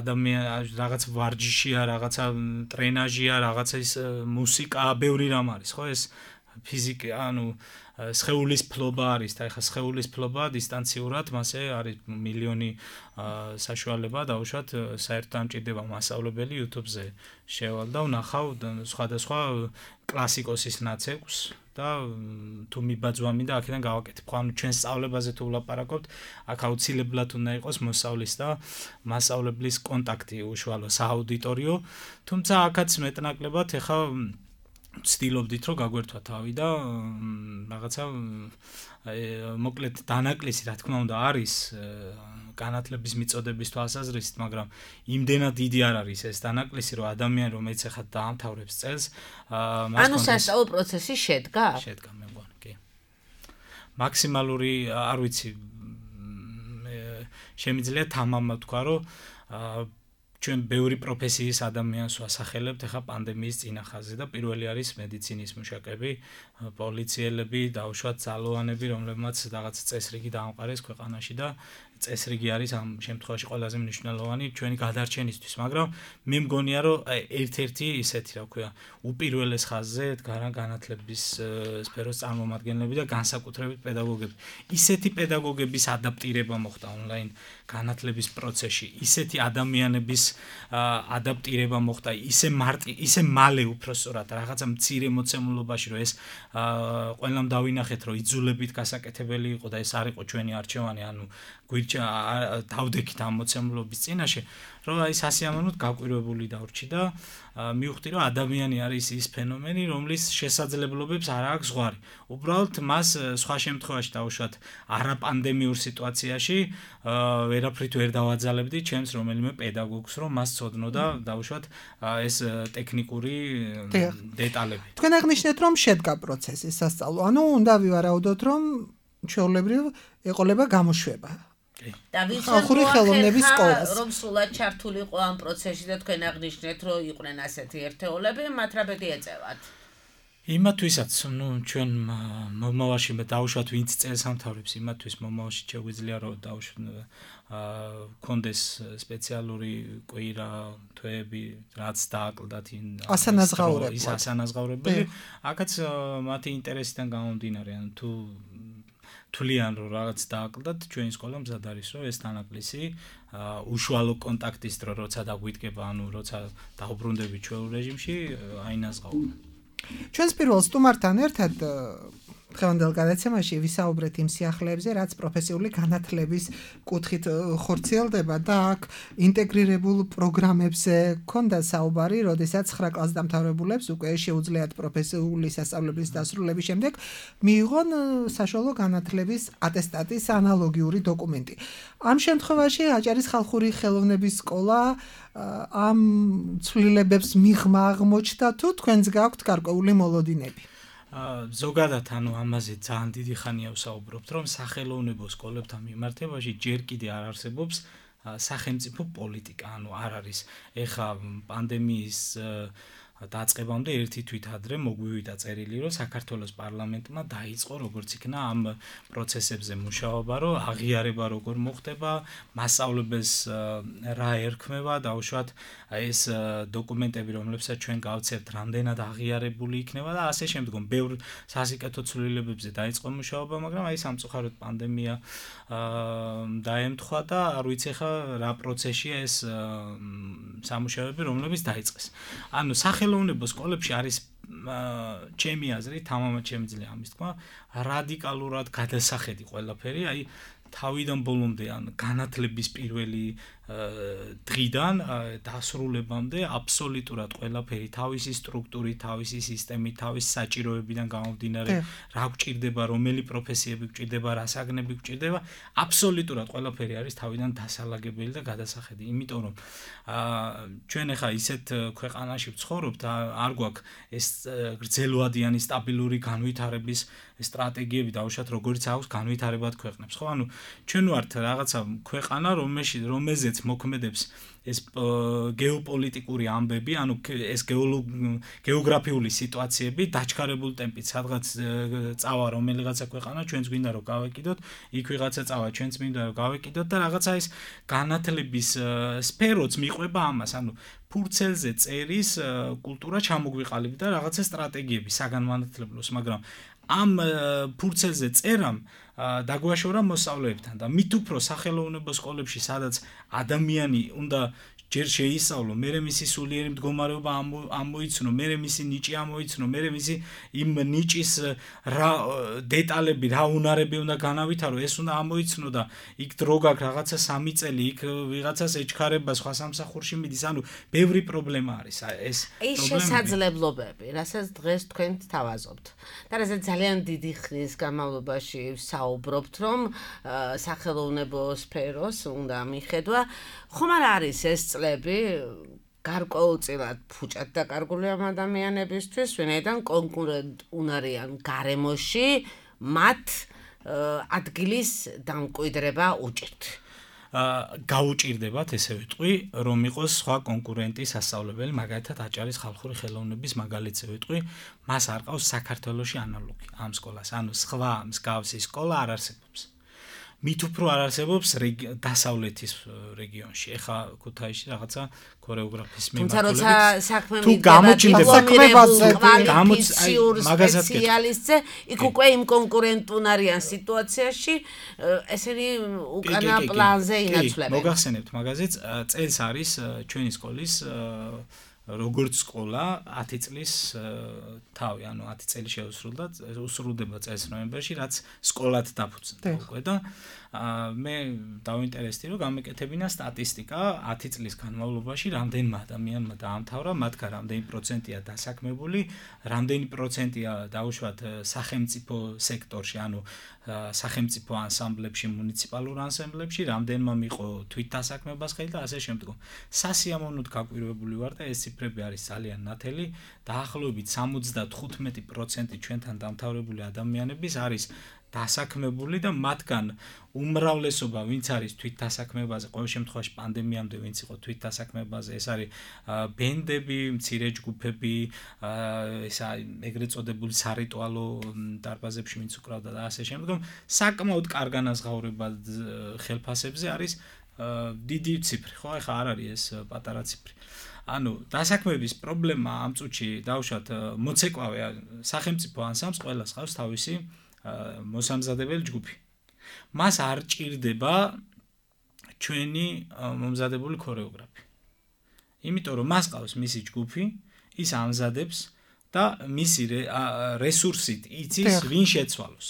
ადამიან რაღაც ვარჯიშია, რაღაცა ტრენაჟია, რაღაცა ის მუსიკა, ბევრი რამ არის, ხო ეს ფიზიკა, ანუ სხეულის ფლობა არის და ეხლა სხეულის ფლობა დისტანციურად მასე არის მილიონი საშუალება დაუშვათ საერთოდ ამჭირდება მასწავლებელი YouTube-ზე შევალ და ვნახავ სხვადასხვა კლასიკოსის ნაცეკვს და თუ მიბაძვა მინდა აქედან გავაკეთებ. ხო, ანუ ჩვენ სწავლებაზე თუ ვლაპარაკობთ, აქ აუცილებლად უნდა იყოს მოსწავლის და მასწავლებლის კონტაქტი უშუალო სააუდიტორიო, თუმცა აქაც მეტნაკლებად ეხლა ვცდილობდით რომ გაგვერთვა თავი და რაღაცა მოკლედ დანაკლისი რა თქმა უნდა არის განათლების მიწოდების თვალსაზრისით, მაგრამ იმდენად დიდი არ არის ეს დანაკლისი, რომ ადამიანი რომელიც ახლა დაამთავრებს წელს, ანუ სასწავლო პროცესი შედგა? შედგა, მე მგონი, კი. მაქსიმალური, არ ვიცი, შემიძლია თამამად თქვა, რომ ჩვენ ბევრი პროფესიის ადამიანს ვასახელებთ ახლა პანდემიის წინახაზე და პირველი არის მედიცინის მუშაკები, პოლიციელები, დაუშვათ ძალოვანები, რომლებმაც რაღაც წესრიგი დაამყარეს ქვეყანაში და წესრიგი არის ამ შემთხვევაში ყველაზე მნიშვნელოვანი ჩვენი გადარჩენისთვის, მაგრამ მე მგონია რომ ერთ-ერთი ისეთი რა ვქვია, უპირველეს ხაზზე დგარან განათლების სფეროს წარმომადგენლები და განსაკუთრებით პედაგოგები. ისეთი პედაგოგების ადაპტირება მოხდა ონლაინ განათლების პროცესში, ისეთი ადამიანების ადაპტირება მოხდა, ისე მარტი, ისე მალე უпростоრად რაღაცა მცირე მოცემულობაში, რომ ეს ყველამ დავინახეთ, რომ იძულებით გასაკეთებელი იყო და ეს არ იყო ჩვენი არჩევანი, ანუ გვირჩა დავდექით ამ მოცემულობის წინაშე, რომ აი სასიამოვნოდ გაკვირვებული დავრჩი და მივხვდი, რომ ადამიანი არის ის ფენომენი, რომლის შესაძლებლობებს არ აქვს ზღვარი. უბრალოდ მას სხვა შემთხვევაში დაუშვათ არაპანდემიურ სიტუაციაში ვერაფრით ვერ დავაძალებდი ჩემს რომელიმე პედაგოგს, რომ მას ცოდნოდა დაუშვათ ეს ტექნიკური დეტალები. თქვენ აღნიშნეთ, რომ შედგა პროცესი სასწავლო. ანუ უნდა ვივარაუდოთ, რომ ჩვეულებრივ ეყოლება გამოშვება. და ხალხური ხელოვნების სკოლას რომ სულად ჩართული იყო ამ პროცესში და თქვენ აღნიშნეთ, რომ იყვნენ ასეთი ერთეულები, მათ რა ბედი ეწევათ? იმათვისაც, ну, ჩვენ მომავალში მე დავუშვათ ვინც წელს ამთავრებს, იმათთვის მომავალში შეგვიძლია რომ დავუშვათ კონდეს სპეციალური კვირა, თვეები, რაც დააკლდათ ასანაზღაურებლად. ის ასანაზღაურებელი, აქაც მათი ინტერესიდან გამომდინარე, ანუ თუ თვლიან რომ რაღაც დააკლდათ, ჩვენი სკოლა მზად არის რომ ეს დანაკლისი უშუალო კონტაქტის დრო როცა დაგვიდგება, ანუ როცა დაუბრუნდები ჩვეულ რეჟიმში, აინაზღაურა. ჩვენს პირველ სტუმართან ერთად დღევანდელ გადაცემაში ვისაუბრეთ იმ სიახლეებზე, რაც პროფესიული განათლების კუთხით ხორციელდება და აქ ინტეგრირებულ პროგრამებზე ქონდა საუბარი, როდესაც ცხრა კლასს დამთავრებულებს უკვე შეუძლიათ პროფესიული სასწავლებლის დასრულების შემდეგ მიიღონ საშუალო განათლების ატესტატის ანალოგიური დოკუმენტი. ამ შემთხვევაში აჭარის ხალხური ხელოვნების სკოლა ამ ცვლილებებს მიღმა აღმოჩნდა თუ თქვენს გაქვთ გარკვეული მოლოდინები? ზოგადად ანუ ამაზე ძალიან დიდი ხანია ვსაუბრობთ, რომ სახელოვნებო სკოლებთან მიმართებაში ჯერ კიდე არ არსებობს სახელმწიფო პოლიტიკა, ანუ არ არის ეხა პანდემიის დაწყებამდე ერთი თვით ადრე მოგვივიდა წერილი, რომ საქართველოს პარლამენტმა დაიწყო როგორც იქნა ამ პროცესებზე მუშაობა, რომ აღიარება როგორ მოხდება, მასწავლებელს რა ერქმევა, დაუშვათ ეს დოკუმენტები, რომლებსაც ჩვენ გავცემთ, რამდენად აღიარებული იქნება და ასე შემდგომ. ბევრ სასიკეთო ცვლილებებზე დაიწყო მუშაობა, მაგრამ აი სამწუხაროდ პანდემია დაემთხვა და არ ვიცი ხა რა პროცესია ეს სამუშაოები, რომლებიც დაიწყეს. ანუ სახელოვნებო სკოლებში არის ჩემი აზრით, თამამად შემიძლია ამის თქვა, რადიკალურად გადასახედი ყველაფერი, აი თავიდან ბოლომდე ან განათლების პირველი დღიდან დასრულებამდე აბსოლუტურად ყველაფერი თავისი სტრუქტურით, თავისი სისტემით, თავისი საჭიროებიდან გამომდინარე, რა გვჭირდება, რომელი პროფესიები გვჭირდება, რა საგნები გვჭირდება, აბსოლუტურად ყველაფერი არის თავიდან დასალაგებელი და გადასახედი. იმიტომ რომ ჩვენ ახლა ისეთ ქვეყანაში ვცხოვრობთ, არ გვაქვს ეს გრძელვადიანი სტაბილური განვითარების სტრატეგიები დაუშვათ, როგორც აქვს განვითარებად ქვეყნებს, ხო? ანუ ჩვენ ვართ რაღაცა ქვეყანა, რომელშიც რომელზეც მოქმედებს ეს გეოპოლიტიკური ამბები, ანუ ეს გეოგრაფიული სიტუაციები დაჩქარებულ ტემპით, სადღაც წავა რომელიღაცა ქვეყანა, ჩვენც გვინდა რომ გავეკიდოთ, იქ ვიღაცა წავა, ჩვენც მინდა რომ გავეკიდოთ და რაღაცა ეს განათლების სფეროც მიყვება ამას, ანუ ფურცელზე წერის კულტურა ჩამოგვიყალიბდა და რაღაცა სტრატეგიები საგანმანათლებლოს, მაგრამ ამ ფურცელზე წერამ დაგვაშორა მოსწავლეებთან და მით უფრო სახელოვნებო სკოლებში, სადაც ადამიანი უნდა ჯერ შეისწავლო, მერე მისი სულიერი მდგომარეობა ამოიცნო, მერე მისი ნიჭი ამოიცნო, მერე მისი იმ ნიჭის რა დეტალები, რა უნარები უნდა განავითარო, ეს უნდა ამოიცნო და იქ დრო გაქვს რაღაცა სამი წელი, იქ ვიღაცას ეჩქარება, სხვა სამსახურში მიდის, ანუ ბევრი პრობლემა არის ეს ეს შესაძლებლობები, რასაც დღეს თქვენ თავაზობთ. და რასაც ძალიან დიდი ხნის განმავლობაში საუბრობთ, რომ სახელოვნებო სფეროს უნდა მიხედვა, ხომ არ არის ეს წლები გარკვეულწილად ფუჭად დაკარგული ამ ადამიანებისთვის, ვინაიდან კონკურენტ უნარიან გარემოში მათ ადგილის დამკვიდრება უჭირთ. გაუჭირდებათ, ესე ვიტყვი, რომ იყოს სხვა კონკურენტი სასწავლებელი, მაგალითად აჭარის ხალხური ხელოვნების მაგალითზე ვიტყვი, მას არ ყავს საქართველოში ანალოგი ამ სკოლას, ანუ სხვა მსგავსი სკოლა არ არსებობს. მით უფრო არ არსებობს დასავლეთის რეგიონში. ეხა ქუთაისში რაღაცა ქორეოგრაფის მიმართულებით თუ გამოჩნდება სპეციალისტზე, იქ უკვე იმ კონკურენტუნარიან სიტუაციაში ესენი უკანა პლანზე ინაცვლებენ. მოგახსენებთ მაგაზეც, წელს არის ჩვენი სკოლის როგორც სკოლა ათი წლის თავი, ანუ ათი წელი შეუსრულდა, უსრულდება წელს ნოემბერში, რაც სკოლად დაფუძნდა უკვე და მე დავინტერესდი, რომ გამეკეთებინა სტატისტიკა ათი წლის განმავლობაში რამდენმა ადამიანმა დაამთავრა, მათგან რამდენი პროცენტია დასაქმებული, რამდენი პროცენტია დაუშვათ სახელმწიფო სექტორში, ანუ სახელმწიფო ანსამბლებში, მუნიციპალურ ანსამბლებში, რამდენმა მიყო თვითდასაქმებას ხელი და ასე შემდგომ. სასიამოვნოდ გაკვირვებული ვარ და ეს ციფრები არის ძალიან ნათელი, დაახლოებით სამოცდათხუთმეტი პროცენტი ჩვენთან დამთავრებული ადამიანების არის დასაქმებული და მათგან უმრავლესობა ვინც არის თვითდასაქმებაზე, ყოველ შემთხვევაში პანდემიამდე ვინც იყო თვითდასაქმებაზე, ეს არის ბენდები, მცირე ჯგუფები, ესა ეგრეთ წოდებული სარიტუალო დარბაზებში ვინც უკრავდა და ასე შემდგომ, საკმაოდ კარგანაზღაურება ხელფასებზე არის დიდი ციფრი, ხო, ეხა არ არის ეს პატარა ციფრი. ანუ დასაქმების პრობლემა ამ წუთში დავუშვათ მოცეკვავე სახელმწიფო ანსამბლს ყველას ყავს თავისი მოსამზადებელი ჯგუფი. მას არ ჭირდება ჩვენი მომზადებული ქორეოგრაფი. იმიტომ რომ მას ყავს მისი ჯგუფი, ის ამზადებს და მისი რესურსით იცის ვინ შეცვალოს.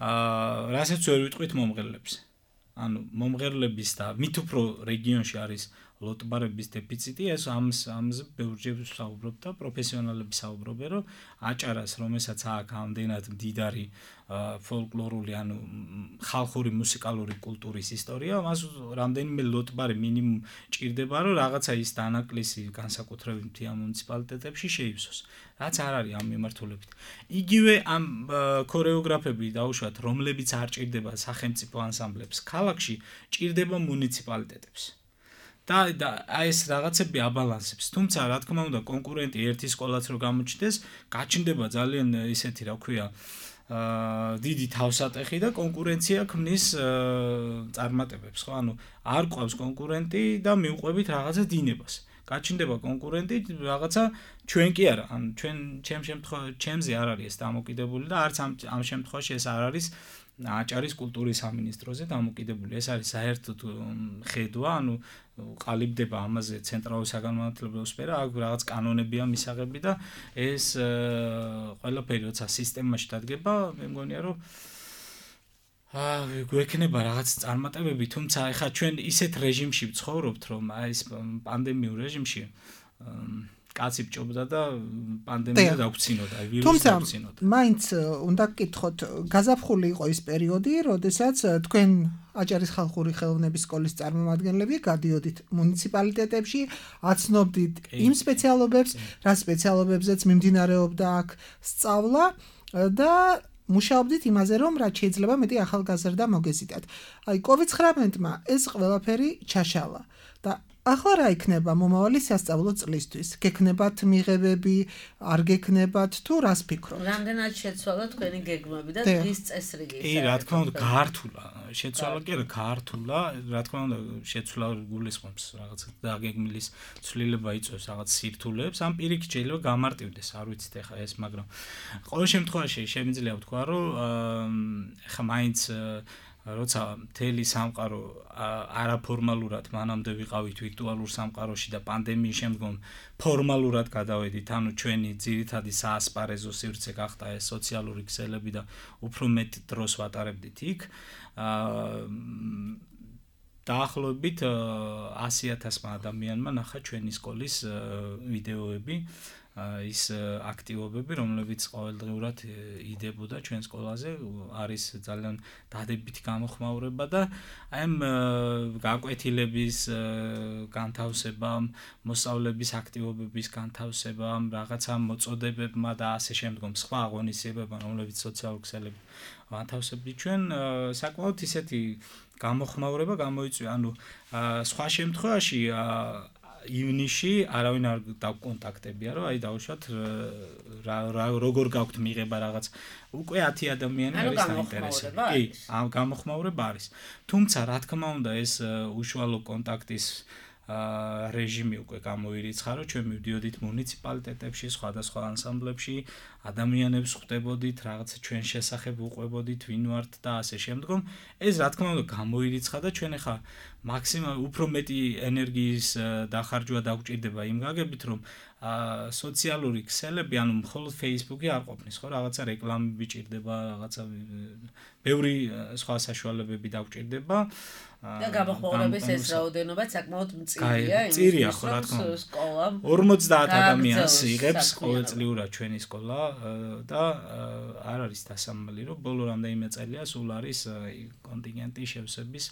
აა რასაც ვერ ვიტყვით მომღერლებს. ანუ მომღერლების და მით უფრო რეგიონში არის ლოტბარების დეფიციტი, ეს ამს ამზე ბევრჯერ საუბრობ და პროფესიონალები საუბრობენ, რომ აჭარას, რომელსაც აქვს ამდენად მდიდარი ფოლკლორული, ანუ ხალხური მუსიკალური კულტურის ისტორია, მას რამდენიმე ლოტბარი მინიმუმ ჭირდება, რომ რაღაცა ის დანაკლისი განსაკუთრებით მთიან მუნიციპალიტეტებში შეივსოს. რაც არ არის ამ მიმართულებით. იგივე ამ ქორეოგრაფები დაუშვათ, რომლებიც არ ჭირდება სახელმწიფო ანსამბლებს, ქალაქში ჭირდება მუნიციპალიტეტებს. და და ეს რაღაცები აბალანსებს. თუმცა რა თქმა უნდა, კონკურენტი ერთი სკოლაც რო გამოჩნდეს, გაჩნდება ძალიან ისეთი, რა ქვია, აა დიდი თავსატეხი და კონკურენცია ქმნის წარმატებებს, ხო? ანუ არ ყავს კონკურენტი და მიუყვებით რაღაცა დინებას. გაჩნდება კონკურენტი, რაღაცა ჩვენ კი არა, ანუ ჩვენ ჩემ შემთხვევაში ჩემზე არ არის ეს დამოკიდებული და არც ამ ამ შემთხვევაში ეს არ არის აჭარის კულტურის სამინისტროზე დამოკიდებული. ეს არის საერთოდ ხედვა, ანუ ყალიბდება ამაზე ცენტრალური საგანმანათლებლო სფერო, აქ რაღაც კანონებია მისაღები და ეს ყველაფერი როცა სისტემაში დადგება, მე მგონია რომ აა გვექნება რაღაც წარმატებები, თუმცა ეხა ჩვენ ისეთ რეჟიმში ვცხოვრობთ, რომ აი ეს პანდემიურ რეჟიმში კაცი ბჭობდა და პანდემია დაგვცინოდა, ვირუსი დაგვცინოდა. თუმცა მაინც უნდა გკითხოთ, გაზაფხული იყო ის პერიოდი, როდესაც თქვენ აჭარის ხალხური ხელოვნების სკოლის წარმომადგენლები გადიოდით მუნიციპალიტეტებში, აცნობდით იმ სპეციალობებს, რა სპეციალობებზეც მიმდინარეობდა აქ სწავლა და მუშაობდით იმაზე, რომ რაც შეიძლება მეტი ახალგაზრდა მოგეზიდათ. აი, კოვიდ ცხრამეტმა ეს ყველაფერი ჩაშალა და ახლა რა იქნება მომავალი სასწავლო წლისთვის? გექნებათ მიღებები, არ გექნებათ თუ რას ფიქრობთ? რამდენად შეცვალა თქვენი გეგმები და დღის წესრიგი? კი, რა თქმა უნდა, გაართულა. შეცვალა კი არა, გაართულა. რა თქმა უნდა, შეცვლა გულისხმობს რაღაცა დაგეგმილის ცვლილება იწვევს რაღაც სირთულეებს. ამ პირიქით შეიძლება გამარტივდეს, არ ვიცით ეხა ეს, მაგრამ ყოველ შემთხვევაში შემიძლია ვთქვა, რომ ეხა მაინც როცა მთელი სამყარო არაფორმალურად მანამდე ვიყავით ვირტუალურ სამყაროში და პანდემიის შემდგომ ფორმალურად გადავედით, ანუ ჩვენი ძირითადი საასპარეზო სივრცე გახდა ეს სოციალური ქსელები და უფრო მეტ დროს ვატარებდით იქ. დაახლოებით ასი ათასმა ადამიანმა ნახა ჩვენი სკოლის ვიდეოები, ის აქტივობები, რომლებიც ყოველდღიურად იდებოდა ჩვენ სკოლაზე, არის ძალიან დადებითი გამოხმაურება და აი ამ გაკვეთილების განთავსება, მოსწავლების აქტივობების განთავსება, რაღაცა მოწოდებებმა და ასე შემდგომ სხვა აღონისებებმა, რომლებიც სოციალურ ქსელებში განთავსებდი ჩვენ, საკმაოდ ისეთი გამოხმაურება გამოიწვია, ანუ სხვა შემთხვევაში ივნისში არავინ არ დავკონტაქტებია, რომ აი დავუშვათ როგორ გაქვთ მიღება რაღაც უკვე ათი ადამიანი არის დაინტერესებული. კი, ამ გამოხმაურება არის. თუმცა რა თქმა უნდა ეს უშუალო კონტაქტის რეჟიმი უკვე გამოირიცხა, რომ ჩვენ მივდიოდით მუნიციპალიტეტებში, სხვადასხვა ანსამბლებში, ადამიანებს ხვდებოდით, რაღაც ჩვენ შესახებ უყვებოდით, ვინ ვართ და ასე შემდგომ. ეს რა თქმა უნდა გამოირიცხა და ჩვენ ახლა მაქსიმალურად უფრო მეტი ენერგიის დახარჯვა დაგვჭირდება იმ გაგებით, რომ სოციალური ქსელები, ანუ მხოლოდ Facebook-ი არ ყოფნის, ხო, რაღაცა რეკლამები ჭირდება, რაღაცა ბევრი სხვა საშუალებები დაგვჭირდება. და გამოხმაურების ეს რაოდენობა საკმაოდ მწირია, მწირია ხო რა თქმა უნდა. ორმოცდაათ ადამიანს იღებს ყოველწლიურად ჩვენი სკოლა და არ არის დასამალი, რომ ბოლო რამდენიმე წელია სულ არის კონტინგენტი შევსების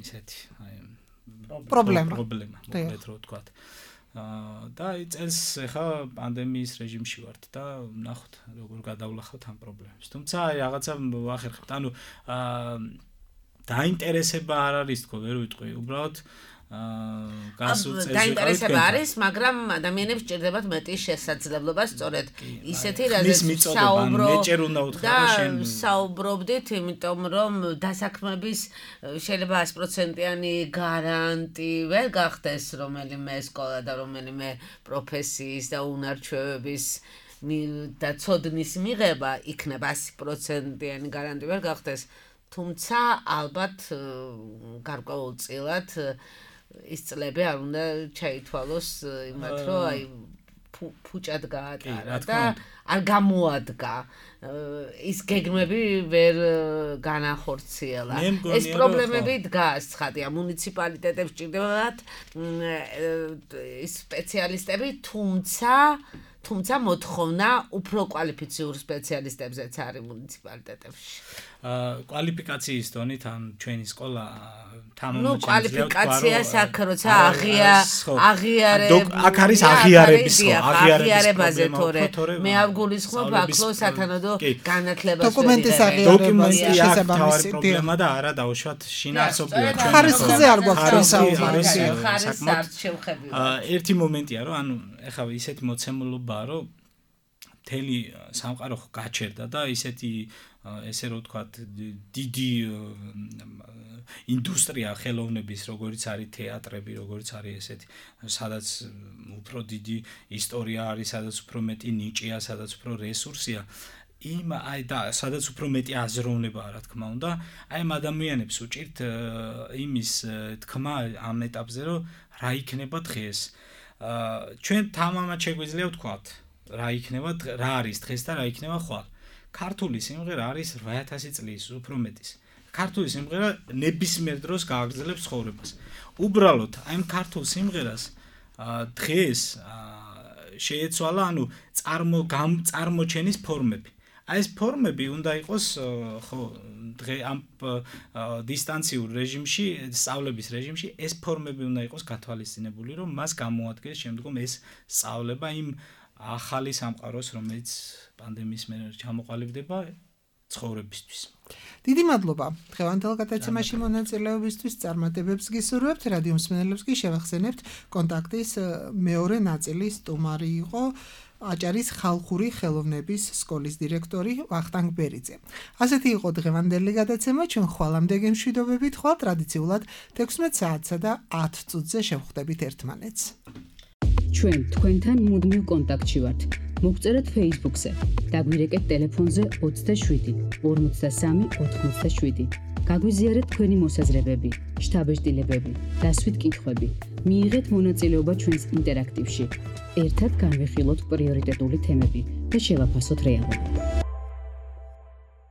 ისეთი აი პრობლემა. პრობლემა, მოკლედ რო ვთქვათ. და წელს ახლა პანდემიის რეჟიმში ვართ და ნახოთ როგორ გადავლახავთ ამ პრობლემებს. თუმცა აი რაღაცა ვახერხებთ. ანუ დაინტერესება არ არის თქო, ვერ ვიტყვი, უბრალოდ გასულ წელს დაინტერესება არის, მაგრამ ადამიანებს ჭირდებათ მეტი შესაძლებლობა, სწორედ ისეთი რაზეც საუბრობ და საუბრობდით, იმიტომ რომ დასაქმების შეიძლება ას პროცენტიანი გარანტი ვერ გახდეს რომელიმე სკოლა და რომელიმე პროფესიის და უნარჩვევების და ცოდნის მიღება იქნება ასი პროცენტიანი გარანტი ვერ გახდეს. თუმცა ალბათ გარკვეულწილად ის წლები არ უნდა ჩაითვალოს იმათ, რომ აი ფუჭად გაატარა და არ გამოადგა. ის გეგმები ვერ განახორციელა. ეს პრობლემები დგას, ცხადია, მუნიციპალიტეტებს ჭირდებათ სპეციალისტები, თუმცა თუმცა მოთხოვნა უფრო კვალიფიციურ სპეციალისტებზეც არის მუნიციპალიტეტებში. კვალიფიკაციის დონით ან ჩვენი სკოლა თამამად ნუ კვალიფიკაციას აქ როცა აღია აღიარებ აქ არის აღიარების ხო აღიარებაზე თორე მე არ გულისხმობ ახლო სათანადო განათლებას დოკუმენტის აღიარება შესაბამისი პრობლემა და არა დაუშვათ შინაარსობრივად ჩვენ ხარისხზე არ გვაქვს არის საკმაოდ შევხები. ერთი მომენტია რომ ანუ ეხლა ისეთი მოცემულობაა რომ მთელი სამყარო გაჩერდა და ისეთი ესე რომ ვთქვათ დიდი ინდუსტრია ხელოვნების, როგორც არის თეატრები, როგორც არის ესეთი, სადაც უფრო დიდი ისტორია არის, სადაც უფრო მეტი ნიჭია, სადაც უფრო რესურსია. იმ აი და სადაც უფრო მეტი აზროვნებაა, რა თქმა უნდა, აი ამ ადამიანებს უჭირთ იმის თქმა ამ ეტაპზე, რომ რა იქნება დღეს. ჩვენ თამამად შეგვიძლია ვთქვათ, რა იქნება, რა არის დღეს და რა იქნება ხვალ. ქართული სიმღერა არის რვა ათასი წლის უფრო მეტის. ქართული სიმღერა ნებისმიერ დროს გააგრძელებს ცხოვრებას. უბრალოდ აი ამ ქართულ სიმღერას დღეს შეეცვალა, ანუ წარმო წარმოჩენის ფორმები. აი ეს ფორმები უნდა იყოს ხო დღე ამ დისტანციურ რეჟიმში, სწავლების რეჟიმში ეს ფორმები უნდა იყოს გათვალისწინებული, რომ მას გამოადგეს შემდგომ ეს სწავლება იმ ახალი სამყაროს, რომელიც პანდემიის მერე ჩამოყალიბდება ცხოვრებისთვის. დიდი მადლობა. დღევანდელ გადაცემაში მონაწილეობისთვის წარმატებებს გისურვებთ. რადიო მსმენელებს კი შევახსენებთ კონტაქტის მეორე ნაწილი სტუმარი იყო აჭარის ხალხური ხელოვნების სკოლის დირექტორი ვახტანგ ბერიძე. ასეთი იყო დღევანდელი გადაცემა. ჩვენ ხვალამდე გემშვიდობებით, ხვალ ტრადიციულად თექვსმეტ საათსა და ათ წუთზე შევხვდებით ერთმანეთს. ჩვენ თქვენთან მუდმივ კონტაქტში ვართ. მოგწერეთ Facebook-ზე. დაგვირეკეთ ტელეფონზე ოცდაშვიდი ორმოცდასამი ოთხმოცდაშვიდი. გაგვიზიარეთ თქვენი მოსაზრებები, შთაბეჭდილებები, დასვით კითხვები. მიიღეთ მონაწილეობა ჩვენს ინტერაქტივში. ერთად განვიხილოთ პრიორიტეტული თემები და შევაფასოთ რეალობა.